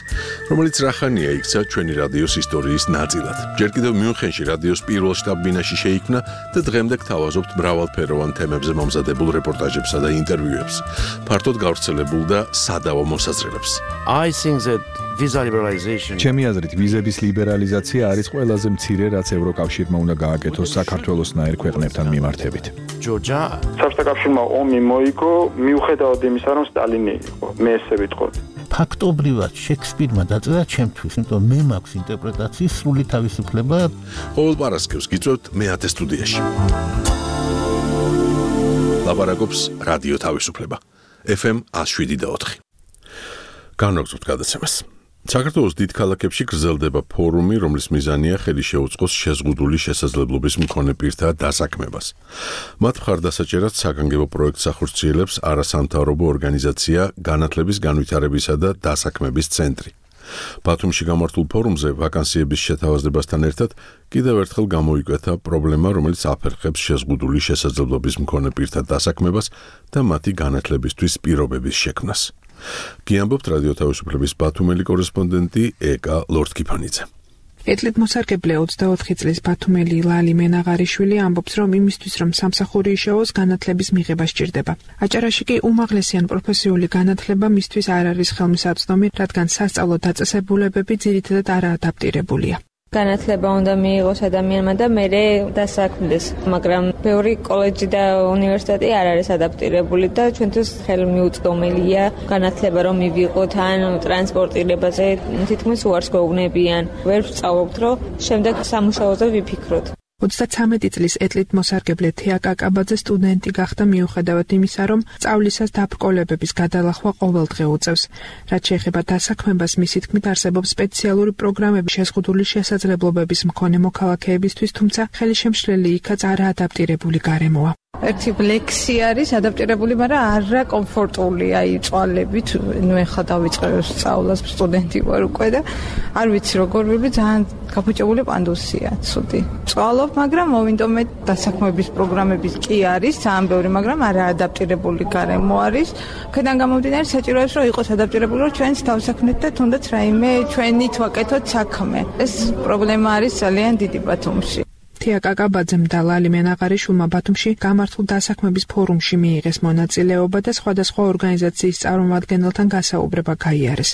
რომელიც რახანია იქცა ჩვენი რადიოს ისტორიის ნაწილად. ჯერ კიდევ მიუნხენში რადიოს პირველ შტაბ-ბინაში შეიქმნა და დღემდე გთავაზობთ მრავალფეროვან თემებზე მომზადებულ რეპორტაჟებსა და ინტერვიუებს, ფართოდ გავრცელებულ და სადავო მოსაზრებებს. I think that visa liberalization ჩემი აზრით ვიზების ლიბერალიზაცია არის ყველაზე მცირე, რაც ევროკავშირმა უნდა გააკეთოს საქართველოსნაირ ქვეყნებთან მიმართებით. ჯორჯა საბჭოთა კავშირმა ომი მოიგო მიუხედავად იმისა, რომ სტალინი იყო, მე ესე ვიტყოდი. ფაქტობრივად შექსპირმა დაწერა ჩემთვის, იმიტომ მე მაქვს ინტერპრეტაციის სრული თავისუფლება. ყოველ პარასკევს გიწევთ მეათე სტუდიაში. ლაპარაკობს რადიო თავისუფლება. ეფ ემ one oh seven point four. განვაგრძობთ გადაცემას. საქართველოს დიდ ქალაქებში გრძელდება ფორუმი, რომლის მიზანია ხელი შეუწყოს შეზღუდული შესაძლებლობის მქონე პირთა დასაქმებას. მათ მხარდასაჭერად საგანგებო პროექტს ახორციელებს არასამთავრობო ორგანიზაცია განათლების განვითარებისა და დასაქმების ცენტრი. ბათუმში გამართულ ფორუმზე ვაკანსიების შეთავაზებასთან ერთად კიდევ ერთხელ გამოიკვეთა პრობლემა, რომელიც აფერხებს შეზღუდული შესაძლებლობის მქონე პირთა დასაქმებას და მათი განათლებისთვის პირობების შექმნას. გიამბობთ რადიო თავისუფლების ბათუმელი კორესპონდენტი ეკა ლორდკიფანიძე. ეთლით მოსარგებლე ოცდაოთხი წლის ბათუმელი ლალი მენაღარიშვილი ამბობს, რომ იმისთვის, რომ სამსახური იშოვოს, განათლების მიღება სჭირდება. აჭარაში კი უმაღლესი ან პროფესიული განათლება მისთვის არ არის ხელმისაწვდომი, რადგან სასწავლო დაწესებულებები ძირითადად არაადაპტირებულია. განათლება უნდა მიიღოს ადამიანმა და მერე დასაქმდეს, მაგრამ ბევრი კოლეჯი და უნივერსიტეტი არ არის ადაპტირებული და ჩვენთვის ხელმიუწვდომელია განათლება რომ მივიღოთ ან ტრანსპორტირებაზე თითქმის უარს გვეუბნებიან. ვერ ვსწავლობთ, რომ შემდეგ სამუშაოზე ვიფიქროთ. ოცდათვრამეტი წლის ეთლით მოსარგებლე თეა კაკაბაძე სტუდენტი გახდა მიუხედავად იმისა, რომ სწავლისას დაბრკოლებების გადალახვა ყოველდღე უწევს. რაც შეეხება დასაქმებას, მისი თქმით არსებობს სპეციალური პროგრამები შეზღუდული შესაძლებლობების მქონე მოქალაქეებისთვის, თუმცა ხელშემშლელი იქაც არაადაპტირებული გარემოა. ერთი ლექსი არის ადაპტირებული, მაგრამ არა კომფორტული, აი წვალებით, ნუ ეხლა დავიწყე სწავლას, სტუდენტი ვარ უკვე და არ ვიცი როგორ ვიბი, ძალიან გაფუჭებული პანდუსია, ცუდი. წვალობ, მაგრამ მოვინდომე დასაქმების პროგრამების კი არის, ძალიან ბევრი, მაგრამ არა ადაპტირებული გარემო არის. აქედან გამომდინარე საჭიროებს, რომ იყოს ადაპტირებული, რომ ჩვენც დავსაქმნეთ და თუნდაც რაიმე ჩვენით ვაკეთოთ საქმე. ეს პრობლემა არის ძალიან დიდი ბათუმში. თეა კაკაბაძემ და ლალი მენაღარიშვილმა ბათუმში გამართულ დასაქმების ფორუმში მიიღეს მონაწილეობა და სხვადასხვა ორგანიზაციის წარმომადგენელთან გასაუბრება გაიარეს.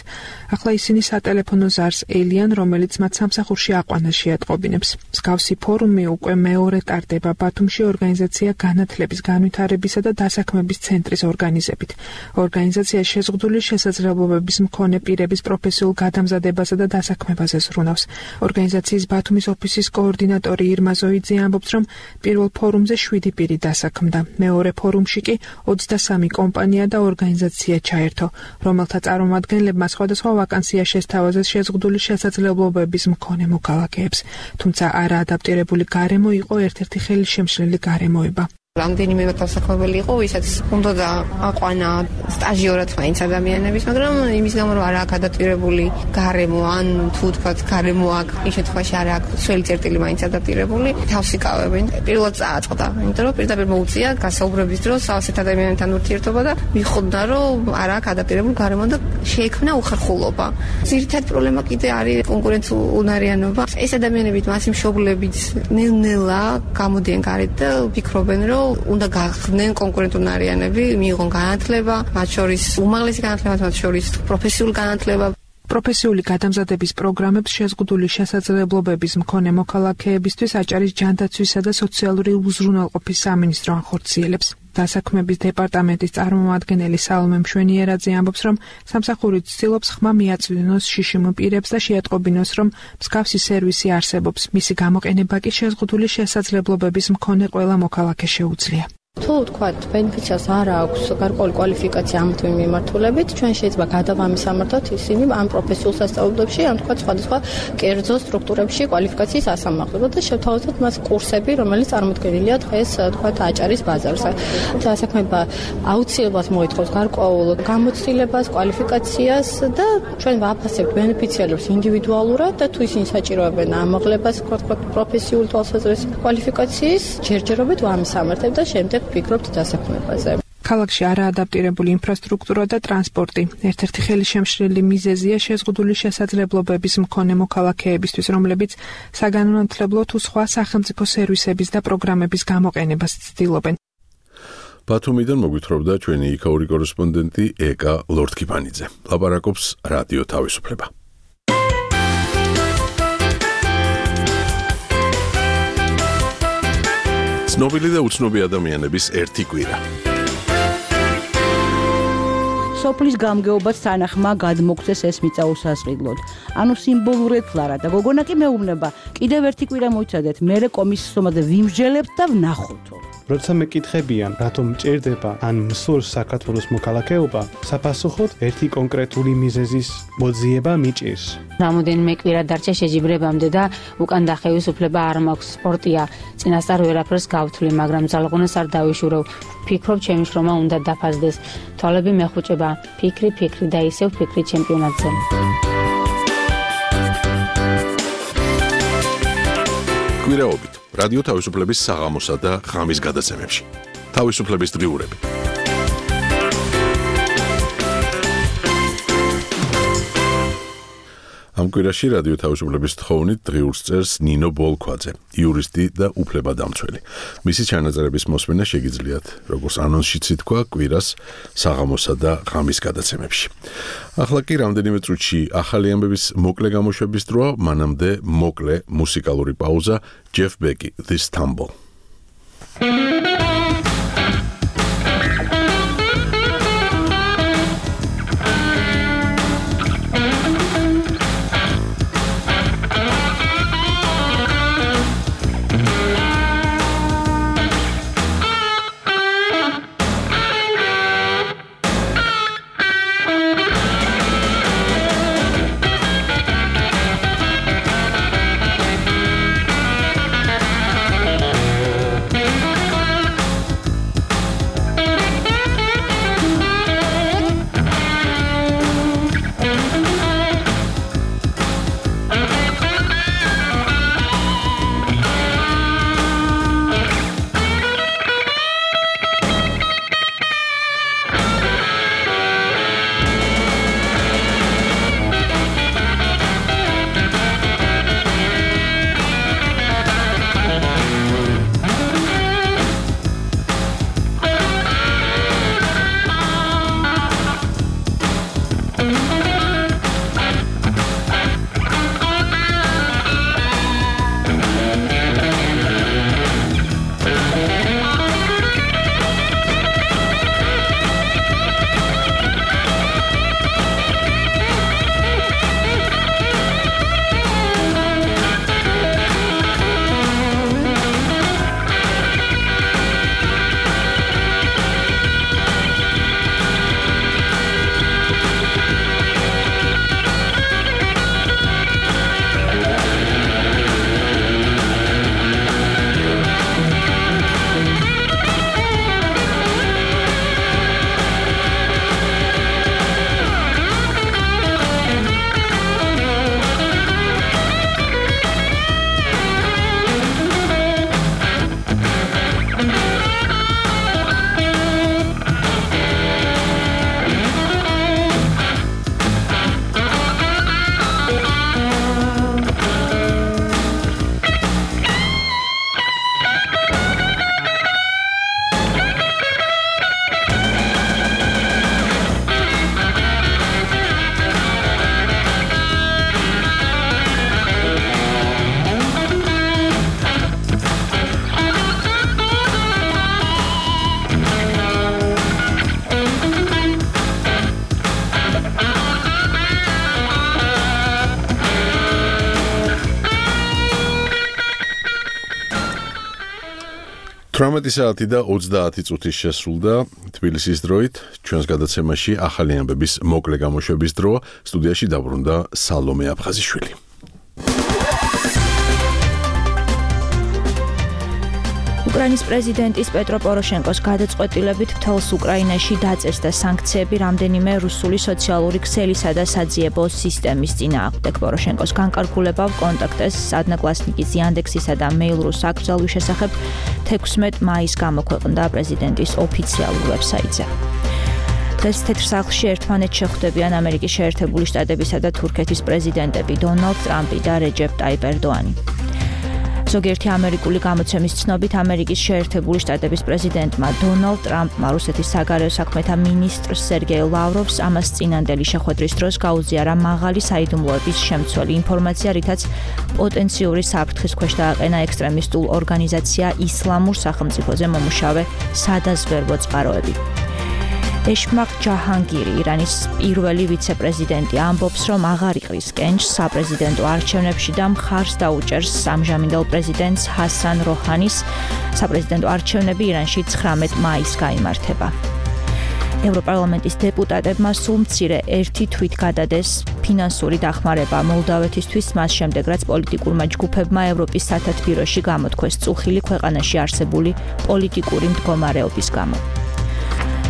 ახლა ისინი სატელეფონო ზარს ელიან, რომელიც მათ სამსახურში აყვანას შეატყობინებს. მსგავსი ფორუმი უკვე მეორე ტარდება ბათუმში ორგანიზაცია განათლების განვითარებისა და დასაქმების ცენტრის ორგანიზებით. ორგანიზაცია შეზღუდული შესაძლებლობების მქონე პირების პროფესიულ გადამზადებასა და დასაქმებაზე ზრუნავს. ორგანიზაციის ბათუმის ოფისის координаტორი ირმა ზოიძე ამბობს, რომ პირველ ფორუმზე შვიდი პირი დასაქმდა. მეორე ფორუმში კი ოცდასამი კომპანია და ორგანიზაცია ჩაერთო, რომელთა წარმომადგენლებმა სხვადასხვა ვაკანსია შესთავაზეს შეზღუდული შესაძლებლობების მქონე მოქალაქეებს. თუმცა არაადაპტირებული გარემო იყო ერთ-ერთი ხელშემშლელი გარემოება. რამდენიმე დასაქმებელი იყო, ვისაც უნდა და აყვანა სტაჟიორად მაინც ადამიანების, მაგრამ იმის გამო რომ არ აქვს ადაპტირებული გარემო, ან თუ თქვათ გარემო აქვს, იმ შემთხვევაში არ აქვს სველი წერტილი მაინც ადაპტირებული, თავს იკავებენ. პირველად წააწყდა, იმიტომ რომ პირდაპირ მოუწია გასაუბრების დროს ასეთ ადამიანებთან ურთიერთობა და მიხვდა, რომ არ აქვს ადაპტირებული გარემო და შეექმნა უხერხულობა. ძირითადი პრობლემა კიდე არის კონკურენციუნარიანობა. ეს ადამიანები მასი მშობლებით ნელ-ნელა გამოდიან გარეთ და ვფიქრობენ, რომ რომ უნდა გახდნენ კონკურენტუნარიანები, მიიღონ განათლება, მათ შორის უმაღლესი განათლება, მათ შორის პროფესიული განათლება. პროფესიული გადამზადების პროგრამებს შეზღუდული შესაძლებლობების მქონე მოქალაქეებისთვის აჭარის ჯანდაცვისა და სოციალური უზრუნველყოფის სამინისტრო ახორციელებს. დასაქმების დეპარტამენტის წარმომადგენელი სალომე მშვენიერაძე ამბობს, რომ სამსახური ცდილობს ხმა მიაწვდინოს შიშიმ პირებს და შეატყობინოს, რომ მსგავსი სერვისი არსებობს. მისი გამოყენება კი შეზღუდული შესაძლებლობების მქონე ყველა მოქალაქე შეუძლია. თუ თქვათ ბენეფიციარს არ აქვს გარკვეული კვალიფიკაცია ამ თუ იმ მიმართულებით, ჩვენ შეიძლება გადავამისამართოთ ისინი ამ პროფესიულ სასწავლებლებში, ამ თქვათ სხვადასხვა კერძო სტრუქტურებში კვალიფიკაციის ასამაღლებლად და შევთავაზოთ მას კურსები, რომელიც წარმოდგენილია დღეს თქვათ აჭარის ბაზარზე. დასაქმება აუცილებლად მოითხოვს გარკვეულ გამოცდილებას, კვალიფიკაციას და ჩვენ ვაფასებთ ბენეფიციარებს ინდივიდუალურად და თუ ისინი საჭიროებენ ამაღლებას, თქვათ პროფესიულ თვალსაზრისით კვალიფიკაციის ჯერჯერობით ვამისამართებთ და შემდეგ ვფიქრობთ დასაქმებაზე. ქალაქში არაადაპტირებული ინფრასტრუქტურა და ტრანსპორტი ერთ-ერთი ხელშემშლელი მიზეზია შეზღუდული შესაძლებლობების მქონე მოქალაქეებისთვის, რომლებიც საგანმანათლებლო თუ სხვა სახელმწიფო სერვისების და პროგრამების გამოყენებას ცდილობენ. ბათუმიდან მოგვითხრობდა ჩვენი იქაური კორესპონდენტი ეკა ლორთქიფანიძე. ლაპარაკობს რადიო თავისუფლება. ცნობილი და უცნობი ადამიანების ერთი კვირა. სოფლის გამგეობაც თანახმა გადმოგწეს ეს მიწა უსასყიდლოდ. ანუ სიმბოლურად ლარა და გოგონა კი მეუბნება, კიდევ ერთი კვირა მოიცადეთ, მერე კომისიის ომაზე ვიმსჯელებთ და ვნახოთო. როცა მეკითხებიან, რატომ მჭირდება ან მსურს საქართველოს მოქალაქეობა, საფასუხოდ ერთი კონკრეტული მიზეზის მოძიება მიჭირს. რამოდენიმე კვირა დარჩა შეჯიბრებამდე და უკან დახევის უფლება არ მაქვს. სპორტია, წინასწარ ვერაფერს გავთვლი, მაგრამ ძალღონას არ დავიშურევ. ვფიქრობ, ჩემი შრომა უნდა დაფასდეს. თვალები მეხუჭება, ფიქრი, ფიქრი და ისევ ფიქრი ჩემპიონატზე. კვირაობით რადიო თავისუფლების საღამოსა და ღამის გადაცემებში. თავისუფლების დღიურები. ამ კვირაში რადიო თავისუფლების თხოვნით დღიურს წერს ნინო ბოლქვაძე, იურისტი და უფლებადამცველი. მისი ჩანაწერების მოსმენა შეგიძლიათ, როგორც ანონსშიც ითქვა, კვირას საღამოსა და ღამის გადაცემებში. ახლა კი რამდენიმე წუთში ახალი ამბების მოკლე გამოშვების დროა, მანამდე მოკლე მუსიკალური პაუზა, Jeff Beck, This Tumble. ათრამეტი საათი და ოცდაათი წუთი შესრულდა თბილისის დროით. ჩვენს გადაცემაში ახალი ამბების მოკლე გამოშვების დრო. სტუდიაში დაბრუნდა სალომე აფხაზიშვილი. უკრაინის პრეზიდენტის პეტრო პოროშენკოს გადაწყვეტილებით მთელს უკრაინაში დაწესდა სანქციები რამდენიმე რუსული სოციალური ქსელისა და საძიებო სისტემის წინააღმდეგ. პოროშენკოს განკარგულება კონტაქტეს ადნაკლასნიკის იანდექსისა და მეილ.რუს აკრძალვის შესახებ თექვსმეტ მაისს გამოქვეყნდა პრეზიდენტის ოფიციალურ ვებსაიტზე. დღეს თეთრ სახლში ერთმანეთს შეხვდებიან ამერიკის შეერთებული შტატებისა და თურქეთის პრეზიდენტები დონალდ ტრამპი და რეჯეპ ტაიპ ერდოანი. ზოგიერთი ამერიკული გამოცემის ცნობით ამერიკის შეერთებული შტატების პრეზიდენტმა დონალდ ტრამპმა რუსეთის საგარეო საქმეთა მინისტრს სერგეი ლავროვს ამას წინანდელი შეხვედრის დროს გაუზიარა მაღალი საიდუმლოების შემცველი ინფორმაცია, რითაც პოტენციური საფრთხის ქვეშ დააყენა ექსტრემისტულ ორგანიზაცია ისლამურ სახელმწიფოზე მომუშავე სადაზვერვო წყაროები. ეშმაყ ჯაჰანგირი, ირანის პირველი ვიცე-პრეზიდენტი, ამბობს, რომ აღარ იყრის კენჭს საპრეზიდენტო არჩევნებში და მხარს დაუჭერს ამჟამინდელ პრეზიდენტს ჰასან როჰანის. საპრეზიდენტო არჩევნები ირანში ცხრამეტ მაისს გაიმართება. ევროპარლამენტის დეპუტატებმა სულ მცირე ერთი თვით გადადეს ფინანსური დახმარება მოლდავეთისთვის, მას შემდეგ რაც პოლიტიკურმა ჯგუფებმა ევროპის სათათბიროში გამოთქვეს წუხილი ქვეყანაში არსებული პოლიტიკური მდგომარეობის გამო.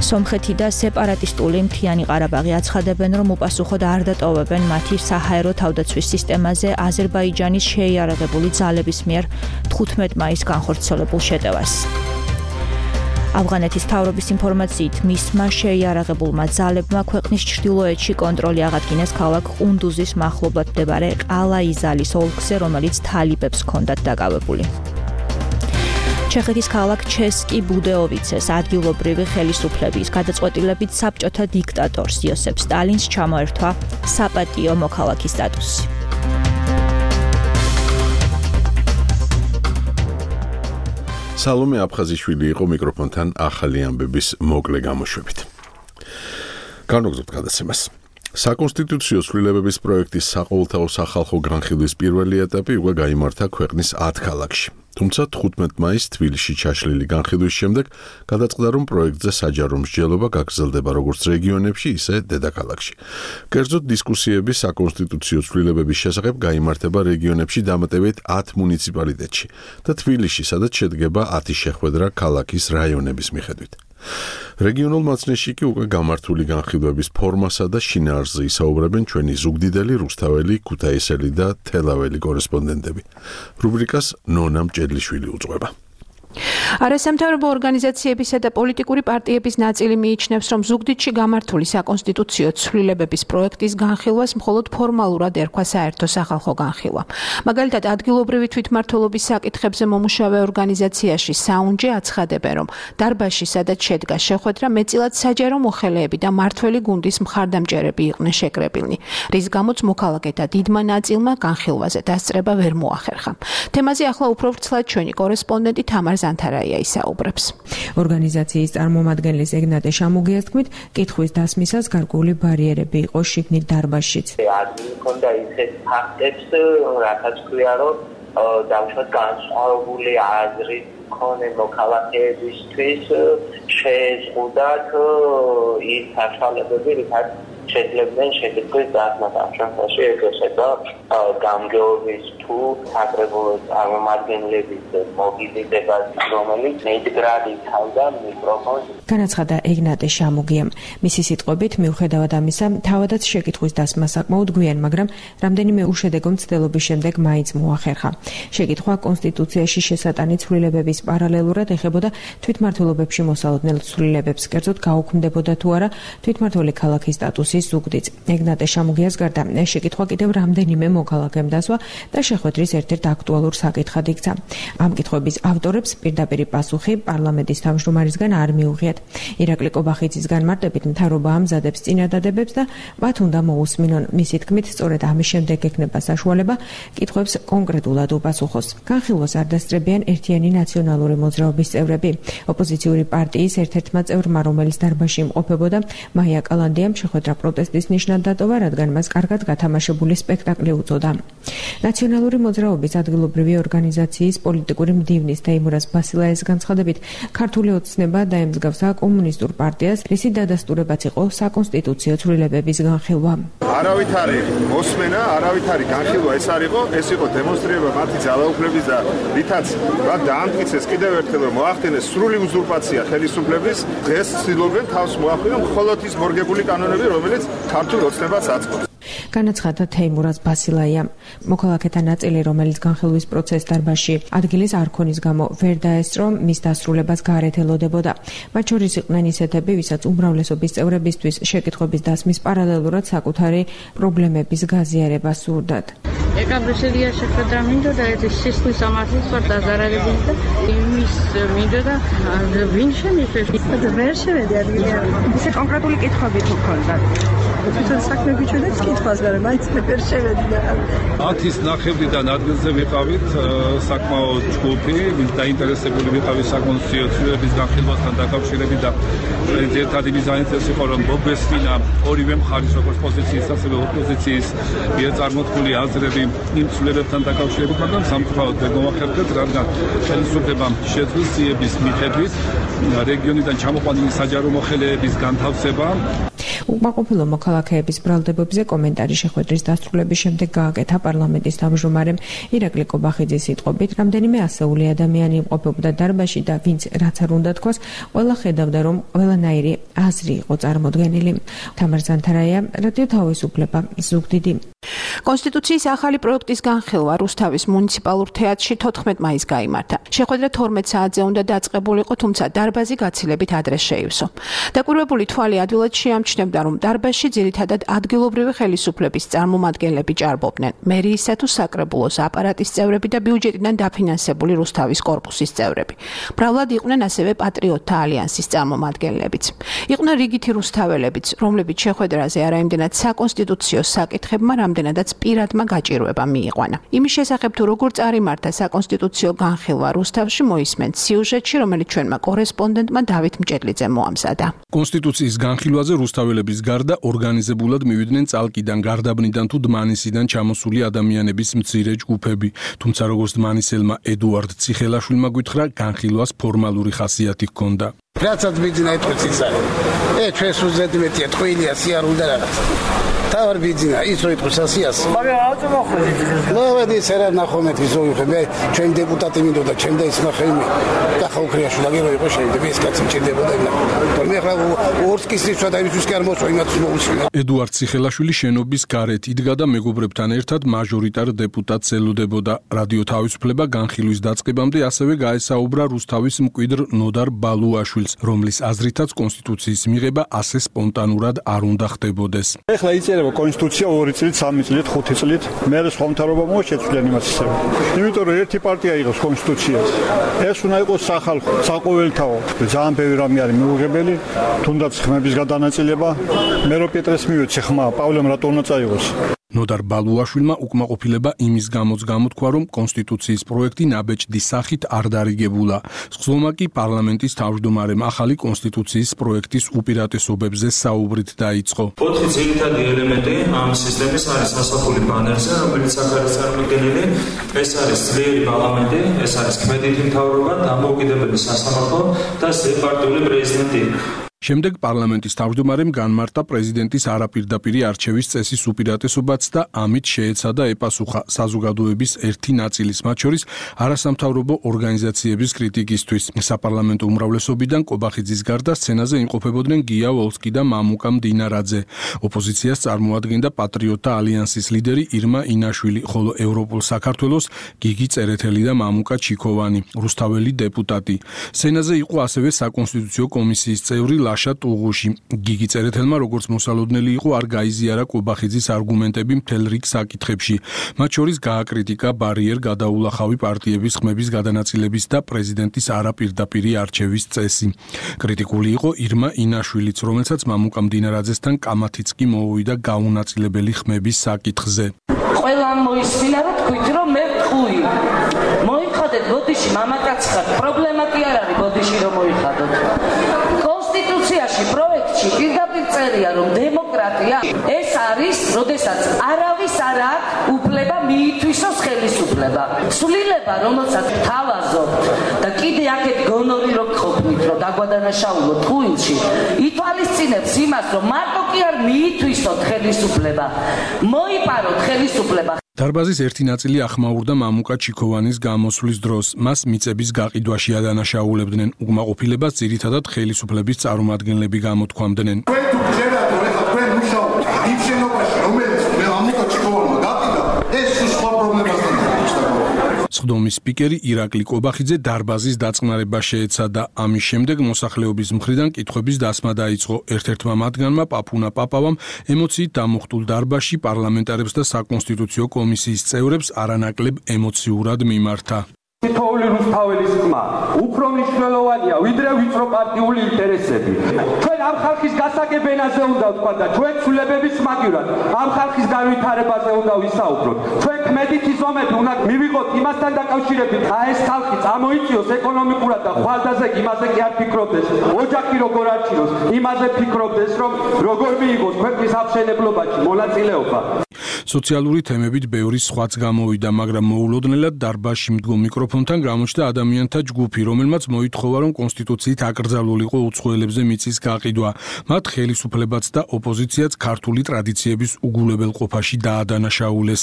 სომხეთი და სეპარატისტული მთიანი ყარაბაღი აცხადებენ, რომ უპასუხოდ არ დატოვებენ მათი საჰაერო თავდაცვის სისტემაზე აზერბაიჯანის შეიარაღებული ძალების მიერ თხუთმეტ მაისს განხორციელებულ შეტევას. ავღანეთის მთავრობის ინფორმაციით, მისმა შეიარაღებულმა ძალებმა ქვეყნის ჩრდილოეთში კონტროლი აღადგინეს ქალაქ ყუნდუზის მახლობლად მდებარე ყალა-იზალის ოლქზე, რომელიც თალიბებს ჰქონდათ დაკავებული. ჩეხეთის ქალაქ ჩესკი ბუდეოვიცეს ადგილობრივი ხელისუფლების გადაწყვეტილებით საბჭოთა დიქტატორს იოსებ სტალინს ჩამოერთვა საპატიო მოქალაქის სტატუსი. სალომე აფხაზიშვილი იყო მიკროფონთან ახალი ამბების მოკლე გამოშვებით. განვაგრძობთ გადაცემას. საკონსტიტუციო ცვლილებების პროექტის საყოველთაო სახალხო განხილვის პირველი ეტაპი უკვე გაიმართა ქვეყნის ათ ქალაქში. თუმცა თხუთმეტ მაისს თბილისში ჩაშლილი განხილვის შემდეგ გადაწყდა, რომ პროექტზე საჯარო მსჯელობა გაგრძელდება როგორც რეგიონებში, ისე დედაქალაქში. კერძოდ დისკუსიები საკონსტიტუციო ცვლილებების შესახებ გაიმართება რეგიონებში დამატებით ათ მუნიციპალიტეტში და თბილისში, სადაც შედგება ათი შეხვედრა ქალაქის რაიონების მიხედვით. რეგიონულ მაცნეში კი უკვე გამართული განხილვების ფორმასა და შინაარსზე ისაუბრებენ ჩვენი ზუგდიდელი, რუსთაველი, ქუთაისელი და თელაველი კორესპონდენტები. რუბრიკას ნონა მჭედლიშვილი უძღვება. არასამთავრობო ორგანიზაციებისა და პოლიტიკური პარტიების ნაწილი მიიჩნევს, რომ ზუგდიდში გამართული საკონსტიტუციო ცვლილებების პროექტის განხილვას მხოლოდ ფორმალურად ერქვა საერთო სახალხო განხილვა. მაგალითად, ადგილობრივი თვითმმართველობის საკითხებზე მომუშავე ორგანიზაციაში საუნჯე აცხადებენ, რომ დარბაზში, სადაც შედგა შეხვედრა, მეტწილად საჯარო მოხელეები და მართველი გუნდის მხარდამჭერები იყვნენ შეკრებილნი, რის გამოც მოქალაქეთა დიდმა ნაწილმა განხილვაზე დასწრება ვერ მოახერხა. თემაზე ახლა უფრო ვრცლად ჩვენი კორესპონდენტი თამარ ზანთარაია ისაუბრებს. ორგანიზაციის წარმომადგენლის ეგნატე შამუგიას თქმით, კითხვის დასმისას გარკვეული ბარიერები იყო შიგნით დარბაზშიც. ადგილი ჰქონდა ისეთ ფაქტებს, რასაც ქვია, რომ დავუშვათ განსხვავებული აზრის მქონე მოქალაქეებისთვის შეეზღუდათ ის საშუალებები, რითაც შეძლებდნენ შეკითხვის დასმას. ამ შემთხვევაში ეგრესება გამგეობის თუ საკრებულო წარმომადგენლების მობილიზებას, რომელიც მედგრად იცავდა მიკროფონს. განაცხადა ეგნატე შამუგიამ. მისი სიტყვებით, მიუხედავად ამისა, თავადაც შეკითხვის დასმა საკმაოდ გვიან, მაგრამ რამდენიმე უშედეგო მცდელობის შემდეგ მაინც მოახერხა. შეკითხვა კონსტიტუციაში შესატანი ცვლილებების პარალელურად ეხებოდა თვითმმართველობებში მოსალოდნელ ცვლილებებს, კერძოდ გაუქმდებოდა თუ არა თვითმმართველი ქალაქის სტატუსის ზუგდიდს. ეგნატე შამუგიას გარდა შეკითხვა კიდევ რამდენიმე მოქალაქემ დასვა და შეხვედრის ერთ-ერთ აქტუალურ საკითხად იქცა. ამ კითხვების ავტორებს პირდაპირი პასუხი პარლამენტის თავმჯდომარისგან არ მიუღიათ. ირაკლი კობახიძის განმარტებით, მთავრობა ამზადებს წინადადებებს და მათ უნდა მოусმინონ. მისი თქმით, სწორედ ამის შემდეგ ექნება საშუალება კითხვებს კონკრეტულად უპასუხოს. განხილვას არ დასწრებიან ერთიანი ნაციონალური მოძრაობის წევრები. ოპოზიციური პარტიის ერთ-ერთმა წევრმა, რომელიც დარბაზში იმყოფებოდა, მაია კალანდიამ შეხვედრა პროტესტის ნიშნად დატოვა, რადგან მას კარგად გათამაშებული სპექტაკლი უწოდა. ნაციონალური სოციალური მოძრაობის ადგილობრივი ორგანიზაციის პოლიტიკური მდივნის თეიმურაზ ბასილაის განცხადებით, ქართული ოცნება დაემსგავსა კომუნისტურ პარტიას, რისი დადასტურებაც იყო საკონსტიტუციო ცვლილებების განხილვა. არავითარი მოსმენა, არავითარი განხილვა ეს არ იყო, ეს იყო დემონსტრირება მათი ძალაუფლების და რითაც მათ დაამტკიცეს კიდევ ერთხელ რომ მოახდინეს სრული უზურპაცია ხელისუფლების, დღეს ცდილობენ თავს მოახდინონ მხოლოდ ის მორგებული კანონები, რომელიც ქართულ ოცნებას აწყობს. განაცხადა თეიმურაზ ბასილაია. მოქალაქეთა ნაწილი, რომელიც განხილვის პროცესს დარბაზში ადგილის არ ქონის გამო ვერ დაესწრო, მის დასრულებას გარეთ ელოდებოდა. მათ შორის იყვნენ ისეთები, ვისაც უმრავლესობის წევრებისთვის შეკითხვების დასმის პარალელურად საკუთარი პრობლემების გაზიარება სურდათ. ეკაბრისელია შეხვედრა მინდოდა ეს სისხლის სამართლის ვარ დაზარალებული და იმის მინდოდა ვინ შემიწევს ვერ შევედი ადგილი არ ისე კონკრეტული კითხვები თუ ქონდა თვითონ საქმე გიჩვენებს კითხვას გარემ მაინც ვერ შევედი და ათის ნახევრიდან ადგილზე ვიყავით საკმაოდ ჯგუფი ვინც დაინტერესებული ვიყავით საკონსტიტუციო ცვლილებების განხილვასთან დაკავშირებით და ერთადერთი მიზანიც იყო რომ მოგესმინა ორივე მხარის როგორც პოზიციის ასევე ოპოზიციის მიერ წარმოქმნილი აზრები იმ ცვლილებებთან დაკავშირებით, მაგრამ სამწუხაროდ ვერ მოახერხეთ, რადგან ხელისუფლებამ შეძლო სიების მიხედვით რეგიონიდან ჩამოყვანილი საჯარო მოხელეების განთავსება. უკმაყოფილო მოქალაქეების ბრალდებებზე კომენტარი შეხვედრის დასრულების შემდეგ გააკეთა პარლამენტის თავმჯდომარემ ირაკლი კობახიძის სიტყვებით, რამდენიმე ასეული ადამიანი იმყოფებოდა დარბაზში და ვინც რაც არ უნდა თქვას, ყველა ხედავდა, რომ ყველანაირი აზრი იყო წარმოდგენილი. თამარ ზანთარაია, რადიო თავისუფლება, ზუგდიდი. კონსტიტუციის ახალი პროექტის განხილვა რუსთავის მუნიციპალურ თეატრში თოთხმეტ მაისს გაიმართა. შეხვედრა თორმეტ საათზე უნდა დაწყებულიყო, თუმცა დარბაზი გაცილებით ადრე შეივსო. დაკვირვებული თვალი ადვილად შეამჩნევდა, რომ დარბაზში ძირითადად ადგილობრივი ხელისუფლების წარმომადგენლები ჭარბობდნენ. მერიისა თუ საკრებულოს აპარატის წევრები და ბიუჯეტიდან დაფინანსებული რუსთავის კორპუსის წევრები. მრავლად იყვნენ ასევე პატრიოტთა ალიანსის წარმომადგენლებიც. იყვნენ რიგითი რუსთაველებიც, რომლებიც შეხვედრაზე არა იმდენად საკონსტიტუციო საკითხებმა, რამდენადაც პირადმა გაჭირვება მიიყვანა. იმის შესახებ თუ როგორ წარიმართა საკონსტიტუციო განხილვა რუსთავში მოისმენთ სიუჟეტში, რომელიც ჩვენმა კორესპონდენტმა დავით მჭედლიძემ მოამზადა. კონსტიტუციის განხილვაზე რუსთაველების გარდა ორგანიზებულად მივიდნენ წალკიდან, გარდაბნიდან თუ დმანისიდან ჩამოსული ადამიანების მცირე ჯგუფები. თუმცა როგორც დმანისელმა ედუარდ ციხელაშვილმა გითხრა, განხილვას ფორმალური ხასიათი ჰქონდა. რაცაც ბიძინა ეთქვის ის არის. ე ჩვენს უზედი მეტია ტყუილია სიარული და რაღაცა. თავარ ბიძინა ის რო იტყვის ასიას. მაგრამ აუწო მოხვედით. ლავედი სერა ნახომეთი ზოიხე მე ჩვენ დეპუტატი მინდოდა ჩვენ და ისმახე იმი. კახა უკრიაშვილი აგება იყო შეიძლება ეს კაცი მჭირდებოდა და თორმე ახლა ორსკისის და იმისთვის კი არ მოსვა იმათს მოუსმინა. ედუარდ ციხელაშვილი შენობის გარეთ იდგა და მეგობრებთან ერთად მაჟორიტარ დეპუტატს ელოდებოდა. რადიო თავისუფლება განხილვის დაწყებამდე ასევე გაესაუბრა რუსთავის მკვიდრ ნოდარ ბალუაშვილს, რომლის აზრითაც კონსტიტუციის მიღება ასე სპონტანურად არ უნდა ხდებოდეს. ეხლა იწერება კონსტიტუცია ორი წლით, სამი წლით, ხუთი წლით, მე სხვა მთავრობა მოშეცვლიან იმას ისევ. იმიტომ რომ ერთი პარტია იღებს კონსტიტუციას. ეს უნდა იყოს სახალხო, საყოველთაო. ძალიან ბევრი რამე არის მიუღებელი, თუნდაც ხმების გადანაწილება. მე რო პეტრეს მივეცე ხმა, პავლემ რატო უნდა წაიღოს? ნოდარ ბალუაშვილმა უკმაყოფილება იმის გამოც გამოთქვა, რომ კონსტიტუციის პროექტი ნაბეჭდი სახით არ დარიგებულა. სხდომა კი პარლამენტის თავმჯდომარემ ახალი კონსტიტუციის პროექტის უპირატესობებზე საუბრით დაიწყო. ოთხი ძირითადი ელემენტი ამ სისტემის არის სასაფული ბანერზე, რომელიც აქ არის წარმოდგენილი. ეს არის ძლიერი პარლამენტი, ეს არის ქმედითი მთავრობა, დამოუკიდებელი სასამართლო და ზეპარტიული პრეზიდენტი. შემდეგ პარლამენტის თავმჯდომარემ განმარტა პრეზიდენტის არაპირდაპირი არჩევის წესის უპირატესობაც და ამით შეეცადა ეპასუხა საზოგადოების ერთი ნაწილის, მათ შორის არასამთავრობო ორგანიზაციების კრიტიკისთვის. საპარლამენტო უმრავლესობიდან კობახიძის გარდა სცენაზე იმყოფებოდნენ გია ვოლსკი და მამუკა მდინარაძე. ოპოზიციას წარმოადგენდა პატრიოტთა ალიანსის ლიდერი ირმა ინაშვილი, ხოლო ევროპულ საქართველოს გიგი წერეთელი და მამუკა ჩიქოვანი, რუსთაველი დეპუტატი. სცენაზე იყო ასევე საკონსტიტუციო კომისიის წევრი ლაშა ტუღუში. გიგი წერეთელმა როგორც მოსალოდნელი იყო არ გაიზიარა კობახიძის არგუმენტები მთელ რიგ საკითხებში. მათ შორის გააკრიტიკა ბარიერ გადაულახავი პარტიების ხმების გადანაწილების და პრეზიდენტის არაპირდაპირი არჩევის წესი. კრიტიკული იყო ირმა ინაშვილიც, რომელსაც მამუკა მდინარაძესთან კამათიც კი მოუვიდა გაუნაწილებელი ხმების საკითხზე. ყველამ მოისმინა რომ თქვით რომ მე ვთქვი. მოიხადეთ ბოდიში მამაკაც ხარ. პრობლემა კი არ არის ბოდიში რომ მოიხადოთ. კონსტიტუციაში პროექტში პირდაპირ წერია რომ დემოკრატია ეს არის, როდესაც არავის არ აქვს უფლება მიითვისოს ხელისუფლება. ცვლილება, რომელსაც თავაზობთ და კიდე აქეთ გონორი რო გყოფნით, რომ დაგვადანაშაულოთ ხუილში, ითვალისწინებს იმას, რომ მარტო კი არ მიითვისოთ ხელისუფლება, მოიპაროთ ხელისუფლება. დარბაზის ერთი ნაწილი ახმაურდა მამუკა ჩიქოვანის გამოსვლის დროს. მას მიწების გაყიდვაში ადანაშაულებდნენ. უკმაყოფილებას ძირითადად ხელისუფლების წარმომადგენლები გამოთქვამდნენ. თქვენ თუ გჯერათ, რომ ეხლა თქვენ მუშაობთ იმ შენობაში, რომელიც მამუკა ჩიქოვანმა გაკიდა, ეს სხვა პრობლემასთან დაკავშირებით. სხდომის სპიკერი ირაკლი კობახიძე დარბაზის დაწყნარება შეეცადა. ამის შემდეგ მოსახლეობის მხრიდან კითხვების დასმა დაიწყო. ერთ-ერთმა მათგანმა პაპუნა პაპავამ ემოციით დამუხტულ დარბაზში პარლამენტარებს და საკონსტიტუციო კომისიის წევრებს არანაკლებ ემოციურად მიმართა. თითოეული რუსთაველის ხმა უფრო მნიშვნელოვანია ვიდრე ვიწრო პარტიული ინტერესები. ჩვენ ამ ხალხის გასაგებენაზე უნდა ვთქვა და ჩვენ ცვლილებების მაგივრად ამ ხალხის განვითარებაზე უნდა ვისაუბროთ. ჩვენ კმედითი ზომები უნდა მივიღოთ იმასთან დაკავშირებით, აი ეს ხალხი წამოიწიოს ეკონომიკურად და ხვალდაზე იმაზე კი არ ფიქრობდეს. ოჯახი როგორ არჩიოს, იმაზე ფიქრობდეს, რომ როგორ მიიღოს ქვეყნის აღმშენებლობაში მონაწილეობა. სოციალური თემებით ბევრი სხვაც გამოვიდა, მაგრამ მოულოდნელად დარბაზში მდგომ მიკროფონთან გამოჩნდა ადამიანთა ჯგუფი, რომელმაც მოითხოვა, რომ კონსტიტუციით აკრძალულიყო უცხოელებზე მიწის გაყიდვა. მათ ხელისუფლებაც და ოპოზიციაც ქართული ტრადიციების უგულებელყოფაში დაადანაშაულეს.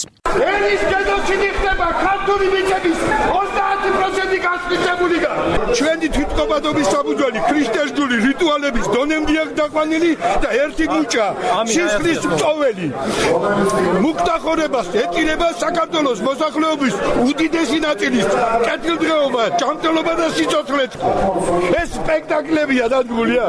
ენის გენოციდი ხდება ქართული მიწების ოცდაათი პროცენტი გასწრებული და ჩვენი თვითკობადობის საფუძველი ქრისტესტული რიტუალების დონემდე აქვს დაყვანილი და ერთი მუჭა სისხლის მწოველი მუქთახორებას ეტირება საქართველოს მოსახლეობის უდიდესი ნაწილის კეთილდღეობა, ჯანმრთელობა და სიცოცხლე. ეს სპექტაკლებია დადგმულია.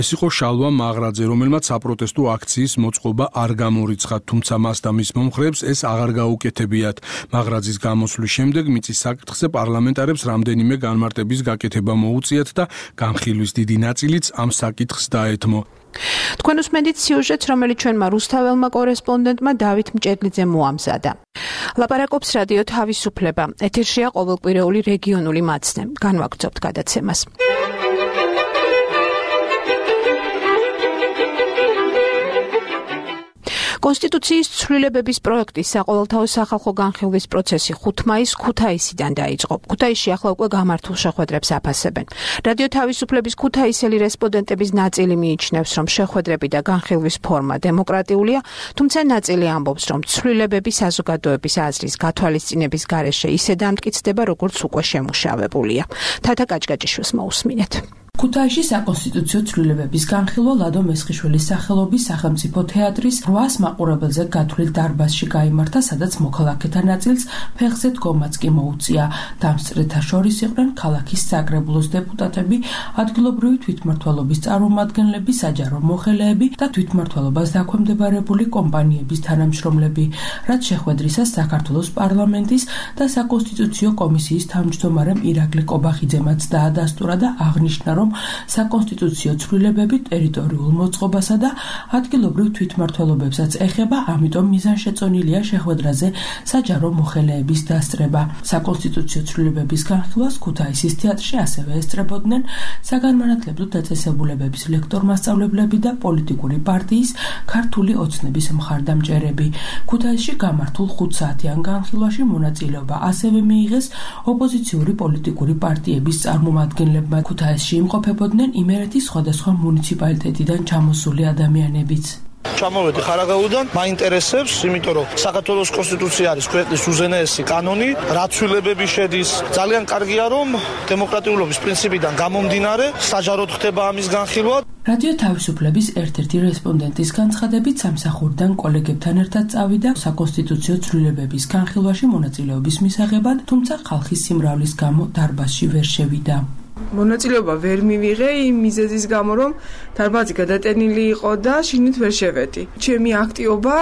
ეს იყო შალვა მაღრაძე, რომელმაც საპროტესტო აქციის მოწყობა არ გამორიცხა, თუმცა მას და მის მომხრეებს ეს აღარ გაუკეთებიათ. მაღრაძის გამოსვლის შემდეგ მიწის საკითხზე პარლამენტარებს რამდენიმე განმარტების გაკეთება მოუწიათ და განხილვის დიდი ნაწილიც ამ საკითხს დაეთმო. თქვენ უსმენთ სიუჟეტს, რომელიც ჩვენმა რუსთაველმა კორესპონდენტმა დავით მჭედლიძემ მოამზადა. ლაპარაკობს რადიო თავისუფლება. ეთერშია ყოველკვირეული რეგიონული მაცნე. განვაგრძობთ გადაცემას. კონსტიტუციის ცვლილებების პროექტის საყოველთაო სახალხო განხილვის პროცესი ხუთი მაისს ქუთაისიდან დაიწყო. ქუთაისში ახლა უკვე გამართულ შეხვედრებს აფასებენ. რადიო თავისუფლების ქუთაისელი რესპონდენტების ნაწილი მიიჩნევს, რომ შეხვედრები და განხილვის ფორმა დემოკრატიულია, თუმცა ნაწილი ამბობს, რომ ცვლილებები საზოგადოების აზრის გათვალისწინების გარეშე ისე დამტკიცდება, როგორც უკვე შემუშავებულია. თათა კაჭკაჭიშვილს მოусმინეთ. ქუთაისში საკონსტიტუციო ცვლილებების განხილვა ლადო მესხიშვილის სახელობის სახელმწიფო თეატრის რვას მაყურებელზე გათვლილ დარბაზში გაიმართა, სადაც მოქალაქეთა ნაწილს ფეხზე დგომაც კი მოუწია. დამსწრეთა შორის იყვნენ ქალაქის საკრებულოს დეპუტატები, ადგილობრივი თვითმმართველობის წარმომადგენლები, საჯარო მოხელეები და თვითმმართველობას დაქვემდებარებული კომპანიების თანამშრომლები. რაც შეხვედრისას საქართველოს პარლამენტის და საკონსტიტუციო კომისიის თავმჯდომარემ ირაკლი კობახიძემაც დაადასტურა და აღნიშნა, რომ საკონსტიტუციო ცვლილებები ტერიტორიულ მოწყობასა და ადგილობრივ თვითმმართველობებსაც ეხება, ამიტომ მიზანშეწონილია შეხვედრაზე საჯარო მოხელეების დასწრება. საკონსტიტუციო ცვლილებების განხილვას ქუთაისის თეატრში ასევე ესწრებოდნენ საგანმანათლებლო დაწესებულებების ლექტორ-მასწავლებლები და პოლიტიკური პარტიის ქართული ოცნების მხარდამჭერები. ქუთაისში გამართულ ხუთსაათიან განხილვაში მონაწილეობა ასევე მიიღეს ოპოზიციური პოლიტიკური პარტიების წარმომადგენლებმა. ქუთაისში იმყოფებოდნენ იმერეთის სხვადასხვა მუნიციპალიტეტიდან ჩამოსული ადამიანებიც. ჩამოვედი ხარაგაულიდან, მაინტერესებს, იმიტომ რომ საქართველოს კონსტიტუცია არის ქვეყნის უზენაესი კანონი, რა ცვლილებები შედის. ძალიან კარგია, რომ დემოკრატიულობის პრინციპიდან გამომდინარე, საჯაროდ ხდება ამის განხილვა. რადიო თავისუფლების ერთ-ერთი რესპონდენტის განცხადებით, სამსახურიდან კოლეგებთან ერთად წავიდა საკონსტიტუციო ცვლილებების განხილვაში მონაწილეობის მისაღებად, თუმცა ხალხის სიმრავლის გამო დარბაზში ვერ შევიდა. მონაწილეობა ვერ მივიღე იმ მიზეზის გამო, რომ დარბაზი გადატენილი იყო და შიგნით ვერ შევედი. ჩემი აქტივობა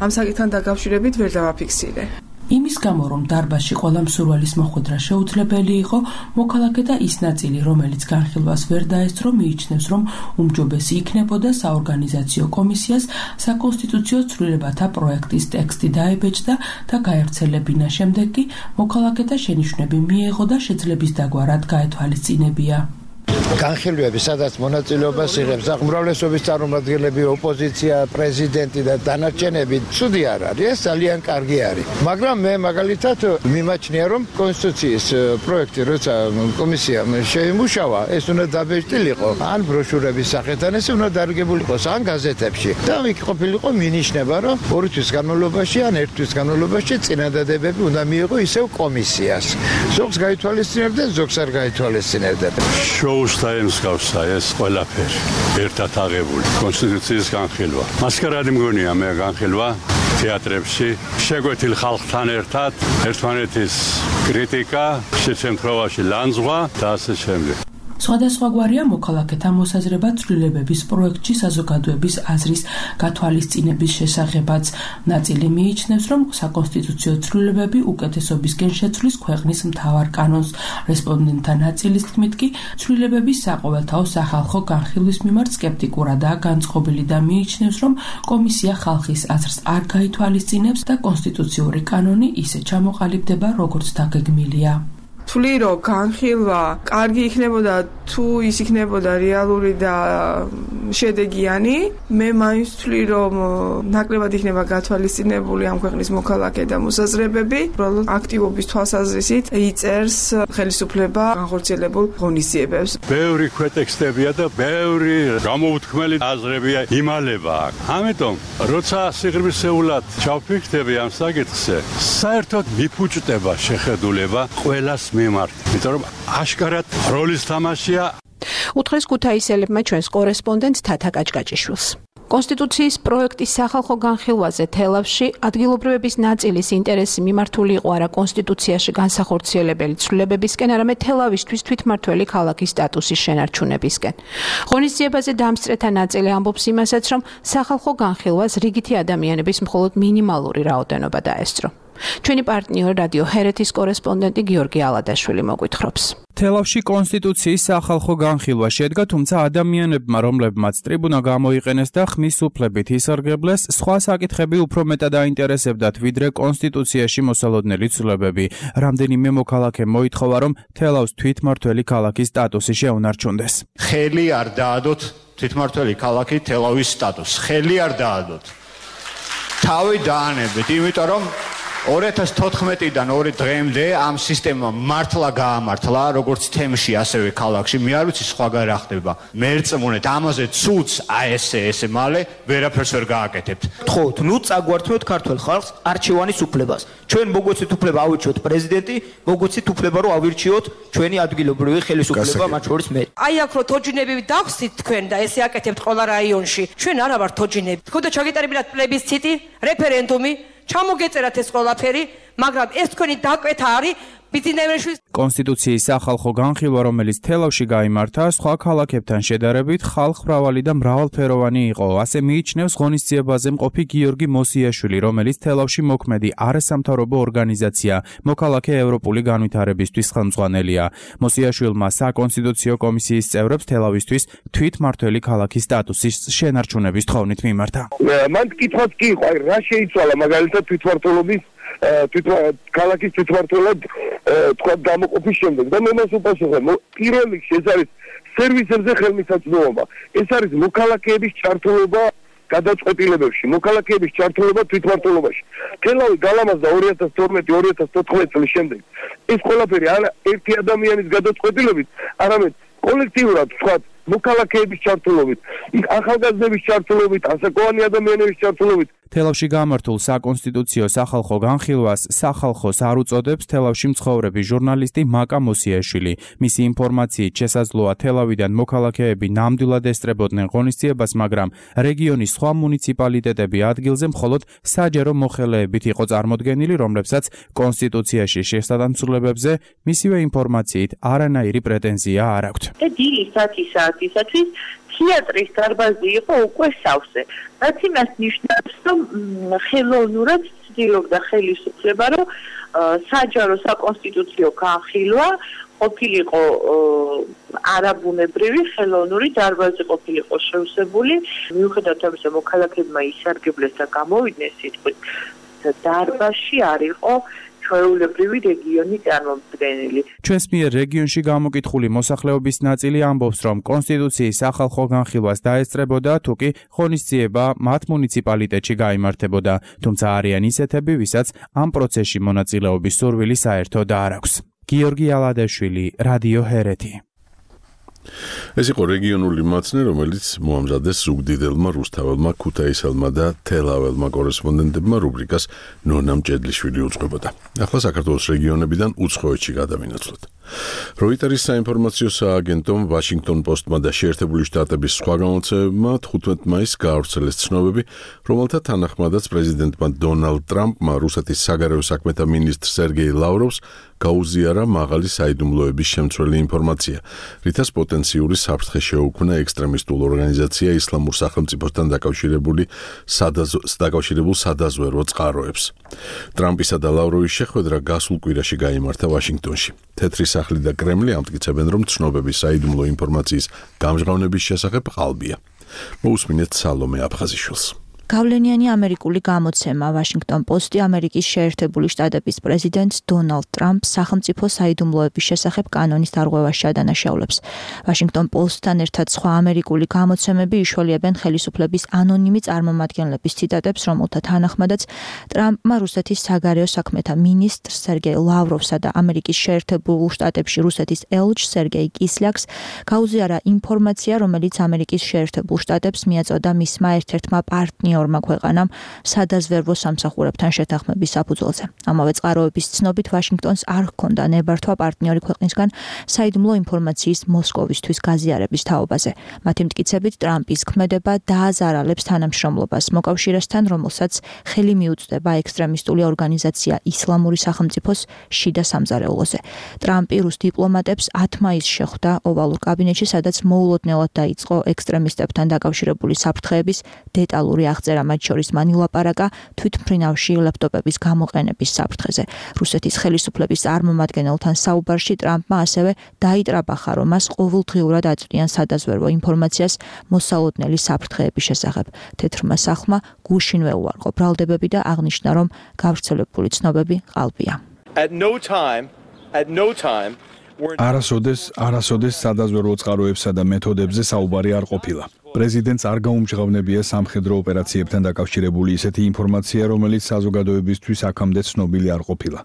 ამ საკითხთან დაკავშირებით ვერ დავაფიქსირე. იმის გამო, რომ დარბაზში ყველა მსურველის მოხვედრა შეუძლებელი იყო, მოქალაქეთა ის ნაწილი, რომელიც განხილვას ვერ დაესწრო, მიიჩნევს, რომ უმჯობესი იქნებოდა საორგანიზაციო კომისიას საკონსტიტუციო ცვლილებათა პროექტის ტექსტი დაებეჭდა და გაერთიანებინა. შემდეგ კი მოქალაქეთა შენიშვნები მიეღო და შეძლების დაგვარად გაეთვალისწინებია. განხილვები, სადაც მონაწილეობას იღებს უმრავლესობის წარმომადგენლები, ოპოზიცია, პრეზიდენტი და დანარჩენები, ცუდი არ არის, ეს ძალიან კარგი არის. მაგრამ მე მაგალითად მიმაჩნია, რომ კონსტიტუციის პროექტი, როცა კომისიამ შეიმუშავა, ეს უნდა დაბეჭდილიყო, ან ბროშურების სახით, ან ეს უნდა დარგებული იყოს ან გაზეთებში. და იქ ყოფილიყო მინიშნება, რომ ორი თვის განმავლობაში ან ერთი თვის განმავლობაში წინადადებები უნდა მიიღო ისევ კომისიას. ზოგს გაითვალისწინებდა, ზოგს არ გაითვალისწინებდა. შოუს დაემსგავსა ეს ყველაფერი ერთად აღებული კონსტიტუციის განხილვა. მასკარადი მგონია მე განხილვა თეატრებში შეგვეთილ ხალხთან ერთად ერთმანეთის კრიტიკა, შეცემთხოვაში ლანძღვა და ასე შემდეგ. სხვადასხვაგვარია მოქალაქეთა მოსაზრება ცვლილებების პროექტში საზოგადოების აზრის გათვალისწინების შესახებაც. ნაწილი მიიჩნევს, რომ საკონსტიტუციო ცვლილებები უკეთესობისკენ შეცვლის ქვეყნის მთავარ კანონს. რესპონდენტთა ნაწილის თქმით კი ცვლილებების საყოველთაო სახალხო განხილვის მიმართ სკეპტიკურადაა განწყობილი და მიიჩნევს, რომ კომისია ხალხის აზრს არ გაითვალისწინებს და კონსტიტუციური კანონი ისე ჩამოყალიბდება, როგორც დაგეგმილია. თვლი რომ განხილვა კარგი იქნებოდა თუ ის იქნებოდა რეალური და შედეგიანი, მე მაინც თვლი რომ ნაკლებად იქნება გათვალისწინებული ამ ქვეყნის მოქალაქე და მოსაზრებები, უბრალოდ აქტივობის თვალსაზრისით იწერს ხელისუფლება განხორციელებულ ღონისძიებებს. ბევრი ქვეტექსტებია და ბევრი გამოუთქმელი აზრებია იმალება აქ. ამიტომ როცა სიღრმისეულად ჩავფიქრდები ამ საკითხზე, საერთოდ მიფუჭდება შეხედულება ყველას მიმართ, იმიტომ რომ აშკარად როლის თამაშია. უთხრეს ქუთაისელებმა ჩვენს კორესპონდენტს თათა კაჭკაჭიშვილს. კონსტიტუციის პროექტის სახალხო განხილვაზე თელავში ადგილობრივების ნაწილის ინტერესი მიმართული იყო არა კონსტიტუციაში განსახორციელებელი ცვლილებებისკენ, არამედ თელავისთვის თვითმმართველი ქალაქის სტატუსის შენარჩუნებისკენ. ღონისძიებაზე დამსწრეთა ნაწილი ამბობს იმასაც, რომ სახალხო განხილვას რიგითი ადამიანების მხოლოდ მინიმალური რაოდენობა დაესწრო. ჩვენი პარტნიორი რადიო ჰერეთის კორესპონდენტი გიორგი ალადაშვილი მოგვითხრობს. თელავში კონსტიტუციის სახალხო განხილვა შედგა, თუმცა ადამიანებმა, რომლებმაც ტრიბუნა გამოიყენეს და ხმის უფლებით ისარგებლეს, სხვა საკითხები უფრო მეტად აინტერესებდათ, ვიდრე კონსტიტუციაში მოსალოდნელი ცვლილებები. რამდენიმე მოქალაქე მოითხოვა, რომ თელავს თვითმმართველი ქალაქის სტატუსი შეუნარჩუნდეს. ხელი არ დაადოთ თვითმმართველი ქალაქი თელავის სტატუსს. ხელი არ დაადოთ. თავი დაანებეთ, იმიტომ რომ ორი ათას თოთხმეტიდან ორი დღემდე ამ სისტემამ მართლა გაამართლა, როგორც თემში, ასევე ქალაქში. მე არ ვიცი სხვაგან რა ხდება. მე ერწმუნეთ ამაზე ცუც აი ესე ესე მალე ვერაფერს ვერ გააკეთებთ. თხოვთ, ნუ წაგვართმევთ ქართულ ხალხს არჩევანის უფლებას. ჩვენ მოგვეცეთ უფლება ავირჩიოთ პრეზიდენტი, მოგვეცეთ უფლება რომ ავირჩიოთ ჩვენი ადგილობრივი ხელისუფლება, მათ შორის მე. აი აქ რო თოჯინები დავხსით თქვენ და ესე აკეთებთ ყველა რაიონში. ჩვენ არა ვართ თოჯინები. თქო და ჩაგეტარებინათ პლებისციტი, რეფერენდუმი, ჩამოგეწერათ ეს ყველაფერი, მაგრამ ეს თქვენი დაკვეთა არის ბიზნესში. კონსტიტუციის სახალხო განხილვა, რომელიც თელავში გაიმართა, სხვა ქალაქებთან შედარებით ხალხმრავალი და მრავალფეროვანი იყო. ასე მიიჩნევს ღონისძიებაზე მყოფი გიორგი მოსიაშვილი, რომელიც თელავში მოქმედი არასამთავრობო ორგანიზაცია მოქალაქე ევროპული განვითარებისთვის ხელმძღვანელია. მოსიაშვილმა საკონსტიტუციო კომისიის წევრებს თელავისთვის თვითმმართველი ქალაქის სტატუსის შენარჩუნების თხოვნით მიმართა. მან კითხვაც კი იყო, აი რა შეიცვალა მაგალითად თვითმმართველობის ქალაქის თვითმმართველად თქვა გამოყოფის შემდეგ და მე მას უპასუხე, პირველ რიგში ეს არის სერვისებზე ხელმისაწვდომობა, ეს არის მოქალაქეების ჩართულობა გადაწყვეტილებებში, მოქალაქეების ჩართულობა თვითმმართველობაში. თელავი გალამაზდა ორი ათას თორმეტი ორი ათას თოთხმეტი წლის შემდეგ. ეს ყველაფერი არა ერთი ადამიანის გადაწყვეტილებით, არამედ კოლექტიურად თქვა მოქალაქეების ჩართულობით, ახალგაზრდების ჩართულობით, ასაკოვანი ადამიანების ჩართულობით. თელავში გამართულ საკონსტიტუციო სახალხო განხილვას სახალხოს არ უწოდებს თელავში მცხოვრები ჟურნალისტი მაკა მოსიაშვილი. მისი ინფორმაციით შესაძლოა თელავიდან მოქალაქეები ნამდვილად ესწრებოდნენ ღონისძიებას, მაგრამ რეგიონის სხვა მუნიციპალიტეტები ადგილზე მხოლოდ საჯარო მოხელეებით იყო წარმოდგენილი, რომლებსაც კონსტიტუციაში შესაბამისობებზე მისივე ინფორმაციით არანაირი პრეტენზია არ აქვთ. დილის ათი საათისათვის თეატრის დარბაზი იყო უკვე სავსე. რაც იმას ნიშნავს, რომ ხელოვნურად ცდილობდა ხელისუფლება, რომ საჯარო საკონსტიტუციო განხილვა ყოფილიყო არაბუნებრივი ხელოვნური დარბაზი ყოფილიყო შევსებული. მიუხედავად ამისა, მოქალაქეებმა ისარგებლეს და გამოვიდნენ სიტყვით, დარბაზში არ იყო ჩვეულებრივი რეგიონი წარმომადგენელი. ჩვენს მიერ რეგიონში გამოკითხული მოსახლეობის ნაწილი ამბობს, რომ კონსტიტუციის სახალხო განხილვას დაესწრებოდა, თუ კი ღონისძიება მათ მუნიციპალიტეტში გაიმართებოდა, თუმცა არიან ისეთები, ვისაც ამ პროცესში მონაწილეობის სურვილი საერთოდ არ აქვს. გიორგი ალადაშვილი, რადიო ჰერეთი. ეს იყო რეგიონული მაცნე, რომელიც მოამზადეს ზუგდიდელმა, რუსთაველმა, ქუთაისელმა და თელაველმა კორესპონდენტებმა რუბრიკას ნონა მჭედლიშვილი უძღვებოდა. ახლა საქართველოს რეგიონებიდან უცხოეთში გადავინაცვლოთ. როიტერის საინფორმაციო სააგენტომ, ვაშინგტონ პოსტმა და შეერთებული შტატების სხვა გამოცემებმა თხუთმეტ მაისს გაავრცელეს ცნობები, რომელთა თანახმადაც პრეზიდენტმა დონალდ ტრამპმა რუსეთის საგარეო საქმეთა მინისტრ სერგეი ლავროვს გაუზიარა მაღალი საიდუმლოების შემცველი ინფორმაცია, რითაც პოტენციური საფრთხე შეუქმნა ექსტრემისტულ ორგანიზაცია ისლამურ სახელმწიფოსთან დაკავშირებული დაკავშირებულ სადაზვერვო წყაროებს. ტრამპისა და ლავროვის შეხვედრა გასულ კვირაში გაიმართა ვაშინგტონში. თეთრი სახლი და კრემლი ამტკიცებენ, რომ ცნობების საიდუმლო ინფორმაციის გამჟღავნების შესახებ ყალბია. მოусმინეთ სალომე აფხაზიშვილს. გავლენიანი ამერიკული გამოცემა ვაშინგტონ პოსტი ამერიკის შეერთებული შტატების პრეზიდენტ დონალდ ტრამპს სახელმწიფო საიდუმლოების შესახებ კანონის დარღვევაში ადანაშაულებს. ვაშინგტონ პოსტთან ერთად სხვა ამერიკული გამოცემები იშველიებენ ხელისუფლების ანონიმი წარმომადგენლების ციტატებს, რომელთა თანახმადაც ტრამპმა რუსეთის საგარეო საქმეთა მინისტრ სერგეი ლავროვსა და ამერიკის შეერთებულ შტატებში რუსეთის ელჩ სერგეი კისლიაკს გაუზიარა ინფორმაცია, რომელიც ამერიკის შეერთებულ შტატებს მიაწოდა მისმა ერთ-ერთმა პარტნიორმა ქვეყანამ სადაზვერვო სამსახურებთან შეთანხმების საფუძველზე. ამავე წყაროების ცნობით ვაშინგტონს არ ჰქონდა ნებართვა პარტნიორი ქვეყნისგან საიდუმლო ინფორმაციის მოსკოვისთვის გაზიარების თაობაზე. მათი მტკიცებით ტრამპის ქმედება დააზარალებს თანამშრომლობას მოკავშირესთან, რომელსაც ხელი მიუწვდება ექსტრემისტული ორგანიზაცია ისლამური სახელმწიფოს შიდა სამზარეულოზე. ტრამპი რუს დიპლომატებს ათი მაისს შეხვდა ოვალურ კაბინეტში, სადაც მოულოდნელად დაიწყო ექსტრემისტებთან დაკავშირებული საფრთხეების დეტალური აღწერა, მათ შორის მან ილაპარაკა თვითმფრინავში ლეპტოპების გამოყენების საფრთხეზე. რუსეთის ხელისუფლების წარმომადგენელთან საუბარში ტრამპმა ასევე დაიტრაბახა, რომ მას ყოველდღიურად აწვდიან სადაზვერვო ინფორმაციას მოსალოდნელი საფრთხეების შესახებ. თეთრმა სახლმა გუშინვე უარყო ბრალდებები და აღნიშნა, რომ გავრცელებული ცნობები ყალბია. At no time, at no time არასოდეს, არასოდეს სადაზვერვო წყაროებსა და მეთოდებზე საუბარი არ ყოფილა. პრეზიდენტს არ გაუმჟღავნებია სამხედრო ოპერაციებთან დაკავშირებული ისეთი ინფორმაცია, რომელიც საზოგადოებისთვის აქამდე ცნობილი არ ყოფილა.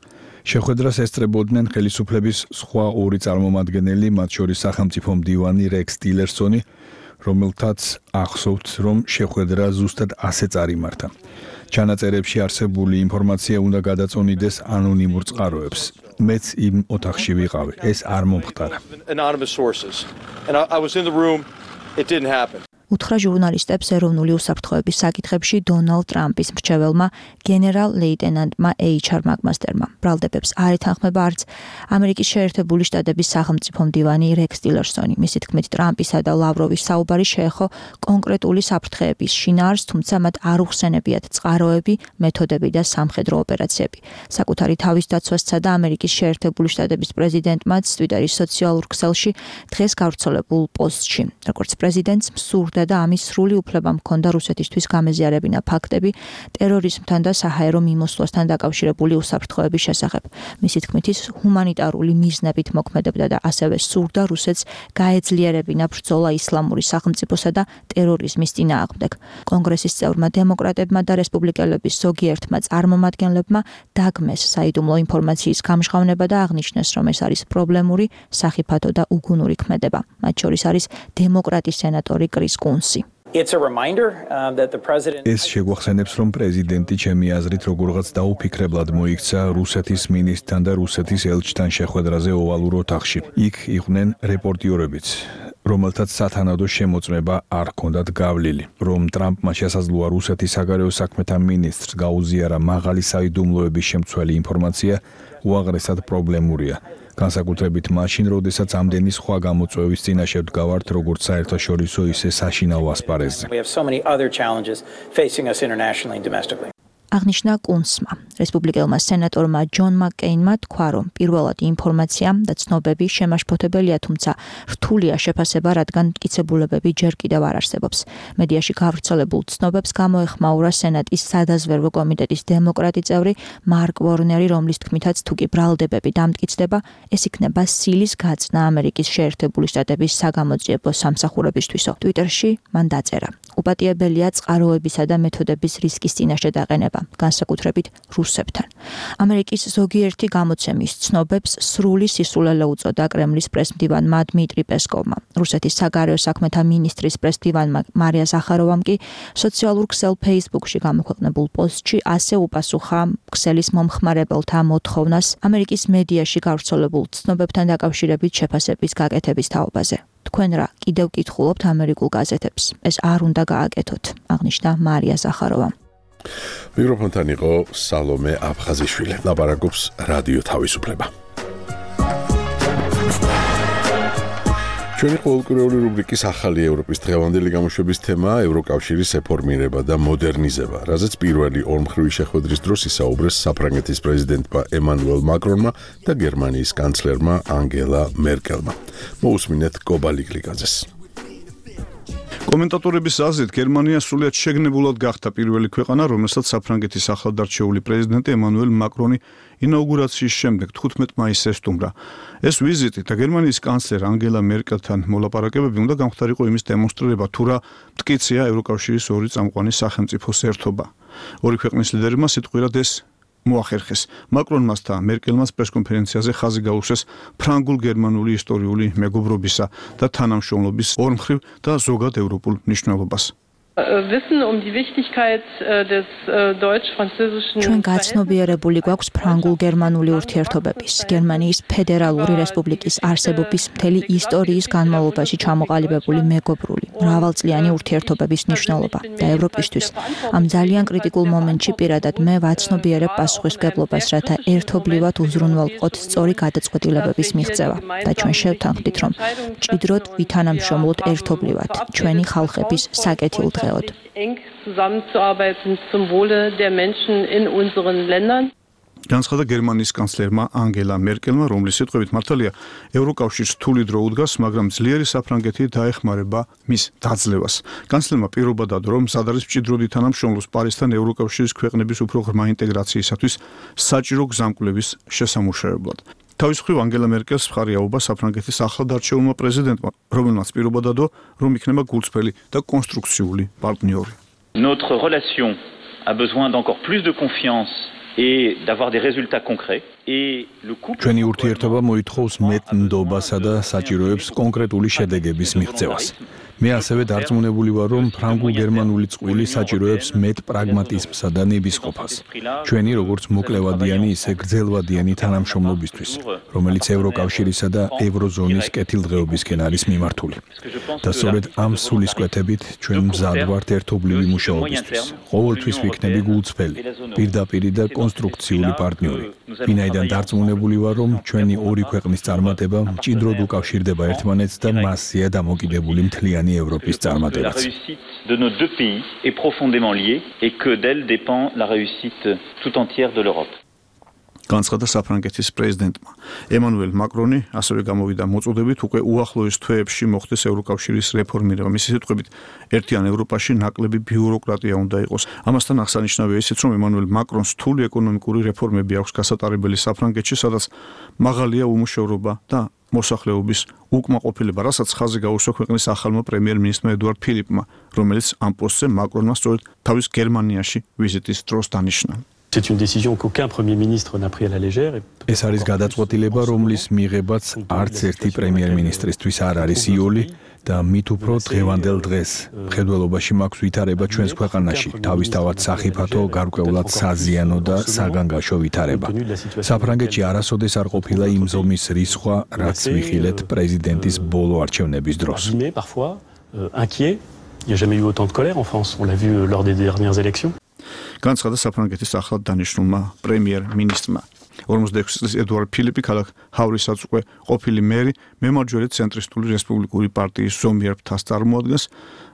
შეხვედრას ესწრებოდნენ ხელისუფლების სხვა ორი წარმომადგენელი, მათ შორის სახელმწიფო მდივანი რექს ტილერსონი, რომელთაც ახსოვთ, რომ შეხვედრა ზუსტად ასე წარიმართა. ჩანაწერებში არსებული ინფორმაცია უნდა გადაწონიდეს ანონიმურ წყაროებს. მეც იმ ოთახში ვიყავი, ეს არ მომხდარა. Anonymous sources. And I, I was in the room. It didn't happen. უთხრა ჟურნალისტებს ეროვნული უსაფრთხოების საკითხებში დონალდ ტრამპის მრჩეველმა გენერალ ლეიტენანტმა ეიჩ არ მაკმასტერმა. ბრალდებებს არ ეთანხმება არც ამერიკის შეერთებული შტატების სახელმწიფო მდივანი რექს ტილერსონი. მისი თქმით, ტრამპისა და ლავროვის საუბარი შეეხო კონკრეტული საფრთხეების შინაარსს, თუმცა მათ არ უხსენებიათ წყაროები, მეთოდები და სამხედრო ოპერაციები. საკუთარი თავის დაცვასსა და ამერიკის შეერთებული შტატების პრეზიდენტმაც ტვიტერის სოციალურ ქსელში დღეს გავრცელებულ პოსტში, როგორც პრეზიდენტს მსურდა და ამის სრული უფლება მქონდა რუსეთისთვის გამეზიარებინა ფაქტები ტერორიზმთან და საჰაერო მიმოსვლასთან დაკავშირებული უსაფრთხოების შესახებ. მისი თქმით, ის ჰუმანიტარული მიზნებით მოქმედებდა და ასევე სურდა რუსეთს გაეძლიერებინა ბრძოლა ისლამური სახელმწიფოსა და ტერორიზმის წინააღმდეგ. კონგრესის წევრმა დემოკრატებმა და რესპუბლიკელების ზოგიერთმა წარმომადგენლებმა დაგმეს საიდუმლო ინფორმაციის გამჟღავნება და აღნიშნეს, რომ ეს არის პრობლემური, სახიფათო და უგუნური ქმედება. მათ შორის არის დემოკრატის სენატორი კრის კუნსი. It's a reminder um, that the president ეს შეგვახსენებს, რომ პრეზიდენტი ჩემი აზრით როგორღაც დაუფიქრებლად მოიქცა რუსეთის მინისტრთან და რუსეთის ელჩთან შეხვედრაზე ოვალურ ოთახში. იქ იყვნენ რეპორტიორებიც, რომელთაც სათანადო შემოწმება არ ჰქონდათ გავლილი, რომ ტრამპმა შესაძლოა რუსეთის საგარეო საქმეთა მინისტრს გაუზიარა მაღალი საიდუმლოების შემცველი ინფორმაცია, უაღრესად პრობლემურია. განსაკუთრებით მაშინ, როდესაც ამდენი სხვა გამოწვევის წინაშე ვდგავართ, როგორც საერთაშორისო, ისე საშინაო ასპარეზზე. We have so many other challenges facing us internationally and domestically. აღნიშნა კუნცმა. რესპუბლიკელმა სენატორმა ჯონ მაკკეინმა თქვა, რომ პირველად ინფორმაცია და ცნობები შემაშფოთებელია, თუმცა რთულია შეფასება, რადგან მტკიცებულებები ჯერ კიდევ არ არსებობს. მედიაში გავრცელებულ ცნობებს გამოეხმაურა სენატის სადაზვერვო კომიტეტის დემოკრატი წევრი მარკ ვორნერი, რომლის თქმითაც თუ კი ბრალდებები დამტკიცდება, ეს იქნება სილის გაწნა ამერიკის შეერთებული შტატების საგამოძიებო სამსახურებისთვისო. ტვიტერში მან დაწერა: უპატიებელია წყაროებისა და მეთოდების რისკის წინაშე დაყენება, განსაკუთრებით რუსებთან. ამერიკის ზოგიერთი გამოცემის ცნობებს სრული სისულელე უწოდა კრემლის პრესმდივანმა დმიტრი პესკოვმა. რუსეთის საგარეო საქმეთა მინისტრის პრესმდივანმა მარია ზახაროვამ კი სოციალურ ქსელ Facebook-ში გამოქვეყნებულ პოსტში ასე უპასუხა ქსელის მომხმარებელთა მოთხოვნას ამერიკის მედიაში გავრცელებულ ცნობებთან დაკავშირებით შეფასების გაკეთების თაობაზე. თქვენ რა კიდევ კითხულობთ ამერიკულ გაზეთებს? ეს არ უნდა გააკეთოთ, აღნიშნა მარია ზახაროვამ. მიკროფონთან იყო სალომე აფხაზიშვილი. ლაპარაკობს რადიო თავისუფლება. ჩვენი ყოველკვირეული რუბრიკის ახალი ევროპის დღევანდელი გამოშვების თემაა ევროკავშირის რეფორმირება და მოდერნიზება, რაზეც პირველი ორმხრივი შეხვედრის დროს ისაუბრეს საფრანგეთის პრეზიდენტმა ემანუელ მაკრონმა და გერმანიის კანცლერმა ანგელა მერკელმა. მოусმინეთ კობალიკლიკაძეს. კომენტატორების აზრით, გერმანია სრულიად შეგნებულად გახდა პირველი ქვეყანა, რომელსაც საფრანგეთის ახლადარჩეული პრეზიდენტი ემანუელ მაკრონი ინაუგურაციის შემდეგ თხუთმეტ მაისს ესტუმრა. ეს ვიზიტი და გერმანიის კანცლერ ანგელა მერკელთან მოლაპარაკებები უნდა გამხდარიყო იმის დემონსტრირება, თუ რა მტკიცია ევროკავშირის ორი წამყვანი სახელმწიფოს ერთობა. ორი ქვეყნის ლიდერებმა სიტყვიერად ეს მოახერხეს. მაკრონმას და მერკელმას პრესკონფერენციაზე ხაზი გაუსვეს ფრანგულ-გერმანული ისტორიული მეგობრობისა და თანამშრომლობის ორმხრივ და ზოგად ევროპულ მნიშვნელობას. ჩვენ გაცნობიერებული გვაქვს ფრანგულ-გერმანული ურთიერთობების, გერმანიის ფედერალური რესპუბლიკის არსებობის მთელი ისტორიის განმავლობაში ჩამოყალიბებული მეგობრული, მრავალწლიანი ურთიერთობების მნიშვნელობა და ევროპისთვის ამ ძალიან კრიტიკულ მომენტში პირადად მე ვაცნობიერებ პასუხისმგებლობას, რათა ერთობლივად უზრუნველყოთ სწორი გადაწყვეტილებების მიღწევა და ჩვენ შევთანხმდით, რომ მჭიდროდ ვითანამშრომლოთ ერთობლივად ჩვენი ხალხების საკეთილ დღე. eng zusammenzuarbeiten zum Wohle der Menschen in unseren Ländern. განცხადა გერმანიის კანცლერმა ანგელა მერკელმა, რომლის სიტყვებით მართალია ევროკავშირს რთული დრო უდგას, მაგრამ ძლიერი საფრანგეთი დაეხმარება მის დაძლევას. კანცლერმა პირობა დადო, რომ მზად არის მჭიდროდ ითანამშრომლოს პარიზთან ევროკავშირის ქვეყნების უფრო ღრმა ინტეგრაციისათვის საჭირო გზამკვლევის შესამუშავებლად. თავის მხრივ ანგელა მერკელს მხარი აუღა საფრანგეთის ახლადარჩეულმა პრეზიდენტმა, რომელმაც პირობა დადო, რომ იქნება გულწრფელი და კონსტრუქციული პარტნიორი. Notre relation a besoin d'encore plus de confiance et d'avoir des résultats concrets. ჩვენი ურთიერთობა მოითხოვს მეტ ნდობასა და საჭიროებს კონკრეტული შედეგების მიღწევას. მე ასევე დარწმუნებული ვარ, რომ ფრანგულ-გერმანული წყვილი საჭიროებს მეტ პრაგმატიზმსა და ნებისყოფას. ჩვენი როგორც მოკლევადიანი, ისე გრძელვადიანი თანამშრომლობისთვის, რომელიც ევროკავშირისა და ევროზონის კეთილდღეობისკენ არის მიმართული. და სწორედ ამ სულისკვეთებით ჩვენ მზად ვართ ერთობლივი მუშაობისთვის. ყოველთვის ვიქნები გულწრფელი, პირდაპირი და კონსტრუქციული პარტნიორი. ვინაიდან დარწმუნებული ვარ, რომ ჩვენი ორი ქვეყნის წარმატება მჭიდროდ უკავშირდება ერთმანეთს და მასზეა დამოკიდებული მთლიანი Европის წარმატებაც. La réussite de nos deux pays est profondément liée et que d'elle dépend la réussite tout entière de l'Europe. განცხადა საფრანგეთის პრეზიდენტმა. ემანუელ მაკრონი ასევე გამოვიდა მოწოდებით უკვე უახლოეს თვეებში მოხდეს ევროკავშირის რეფორმირება. მისი სიტყვებით, ერთიან ევროპაში ნაკლები ბიუროკრატია უნდა იყოს. ამასთან აღსანიშნავია ისიც, რომ ემანუელ მაკრონს რთული ეკონომიკური რეფორმები აქვს გასატარებელი საფრანგეთში, სადაც მაღალია უმუშევრობა და მოსახლეობის უკმაყოფილება, რასაც ხაზი გაუსვა ქვეყნის ახალმა პრემიერ-მინისტრმა ედუარდ ფილიპმა, რომელიც ამ პოსტზე მაკრონმა სწორედ თავის გერმანიაში ვიზიტის დროს დანიშნა. C'est une décision qu'aucun Premier ministre n'a pris à la légère. ეს არის გადაწყვეტილება, რომლის მიღებაც არც ერთი პრემიერ-მინისტრისთვის არ არის იოლი და მით უფრო დღევანდელ დღეს მხედველობაში მაქვს ვითარება ჩვენს ქვეყანაში, თავისთავად სახიფათო, გარკვეულად საზიანო და საგანგაშო ვითარება. საფრანგეთში არასოდეს არ ყოფილა იმ ზომის რისხვა, რაც ვიხილეთ პრეზიდენტის ბოლო არჩევნების დროს. Parfois inquiet, il n'y a jamais eu autant de colère en France, on l'a vu lors des dernières élections. განცხადა საფრანგეთის ახლად დანიშნულმა პრემიერ-მინისტრმა. ორმოცდაექვსი წლის ედუარდ ფილიპი ქალაქ ჰავრისაც უკვე ყოფილი მერი, მემარჯვენე ცენტრისტული რესპუბლიკური პარტიის ზომიერ ფრთას წარმოადგენს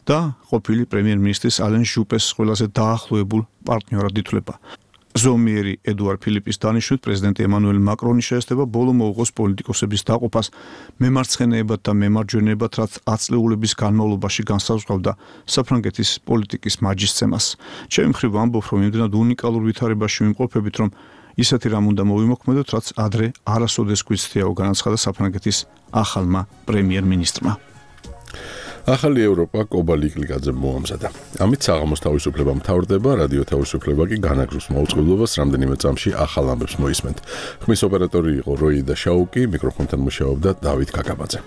და ყოფილი პრემიერ-მინისტრის ალენ ჟუპეს ყველაზე დაახლოებულ პარტნიორად ითვლება. ზომიერი ედუარ ფილიპის დანიშვნით პრეზიდენტი ემანუელ მაკრონი შეესწება ბოლო მოუღოს პოლიტიკოსების დაყოფას მემარცხენეებად და მემარჯვენეებად, რაც ათწლეულების განმავლობაში განსაზღვრავდა საფრანგეთის პოლიტიკის მაჯისცემას. ჩემი მხრივ ვამბობ, რომ იმდენად უნიკალურ ვითარებაში ვიმყოფებით, რომ ისეთი რამ უნდა მოვიმოქმედოთ, რაც ადრე არასოდეს გვიცდიაო, განაცხადა საფრანგეთის ახალმა პრემიერ-მინისტრმა. ახალი ევროპა კობა ლიკლიკაძემ მოამზადა. ამით საღამოს თავისუფლება მთავრდება, რადიო თავისუფლება კი განაგრძობს მაუწყებლობას, რამდენიმე წამში ახალ ამბებს მოისმენთ. ხმის ოპერატორი იყო როიდა შაუკი, მიკროფონთან მუშაობდა დავით კაკაბაძე.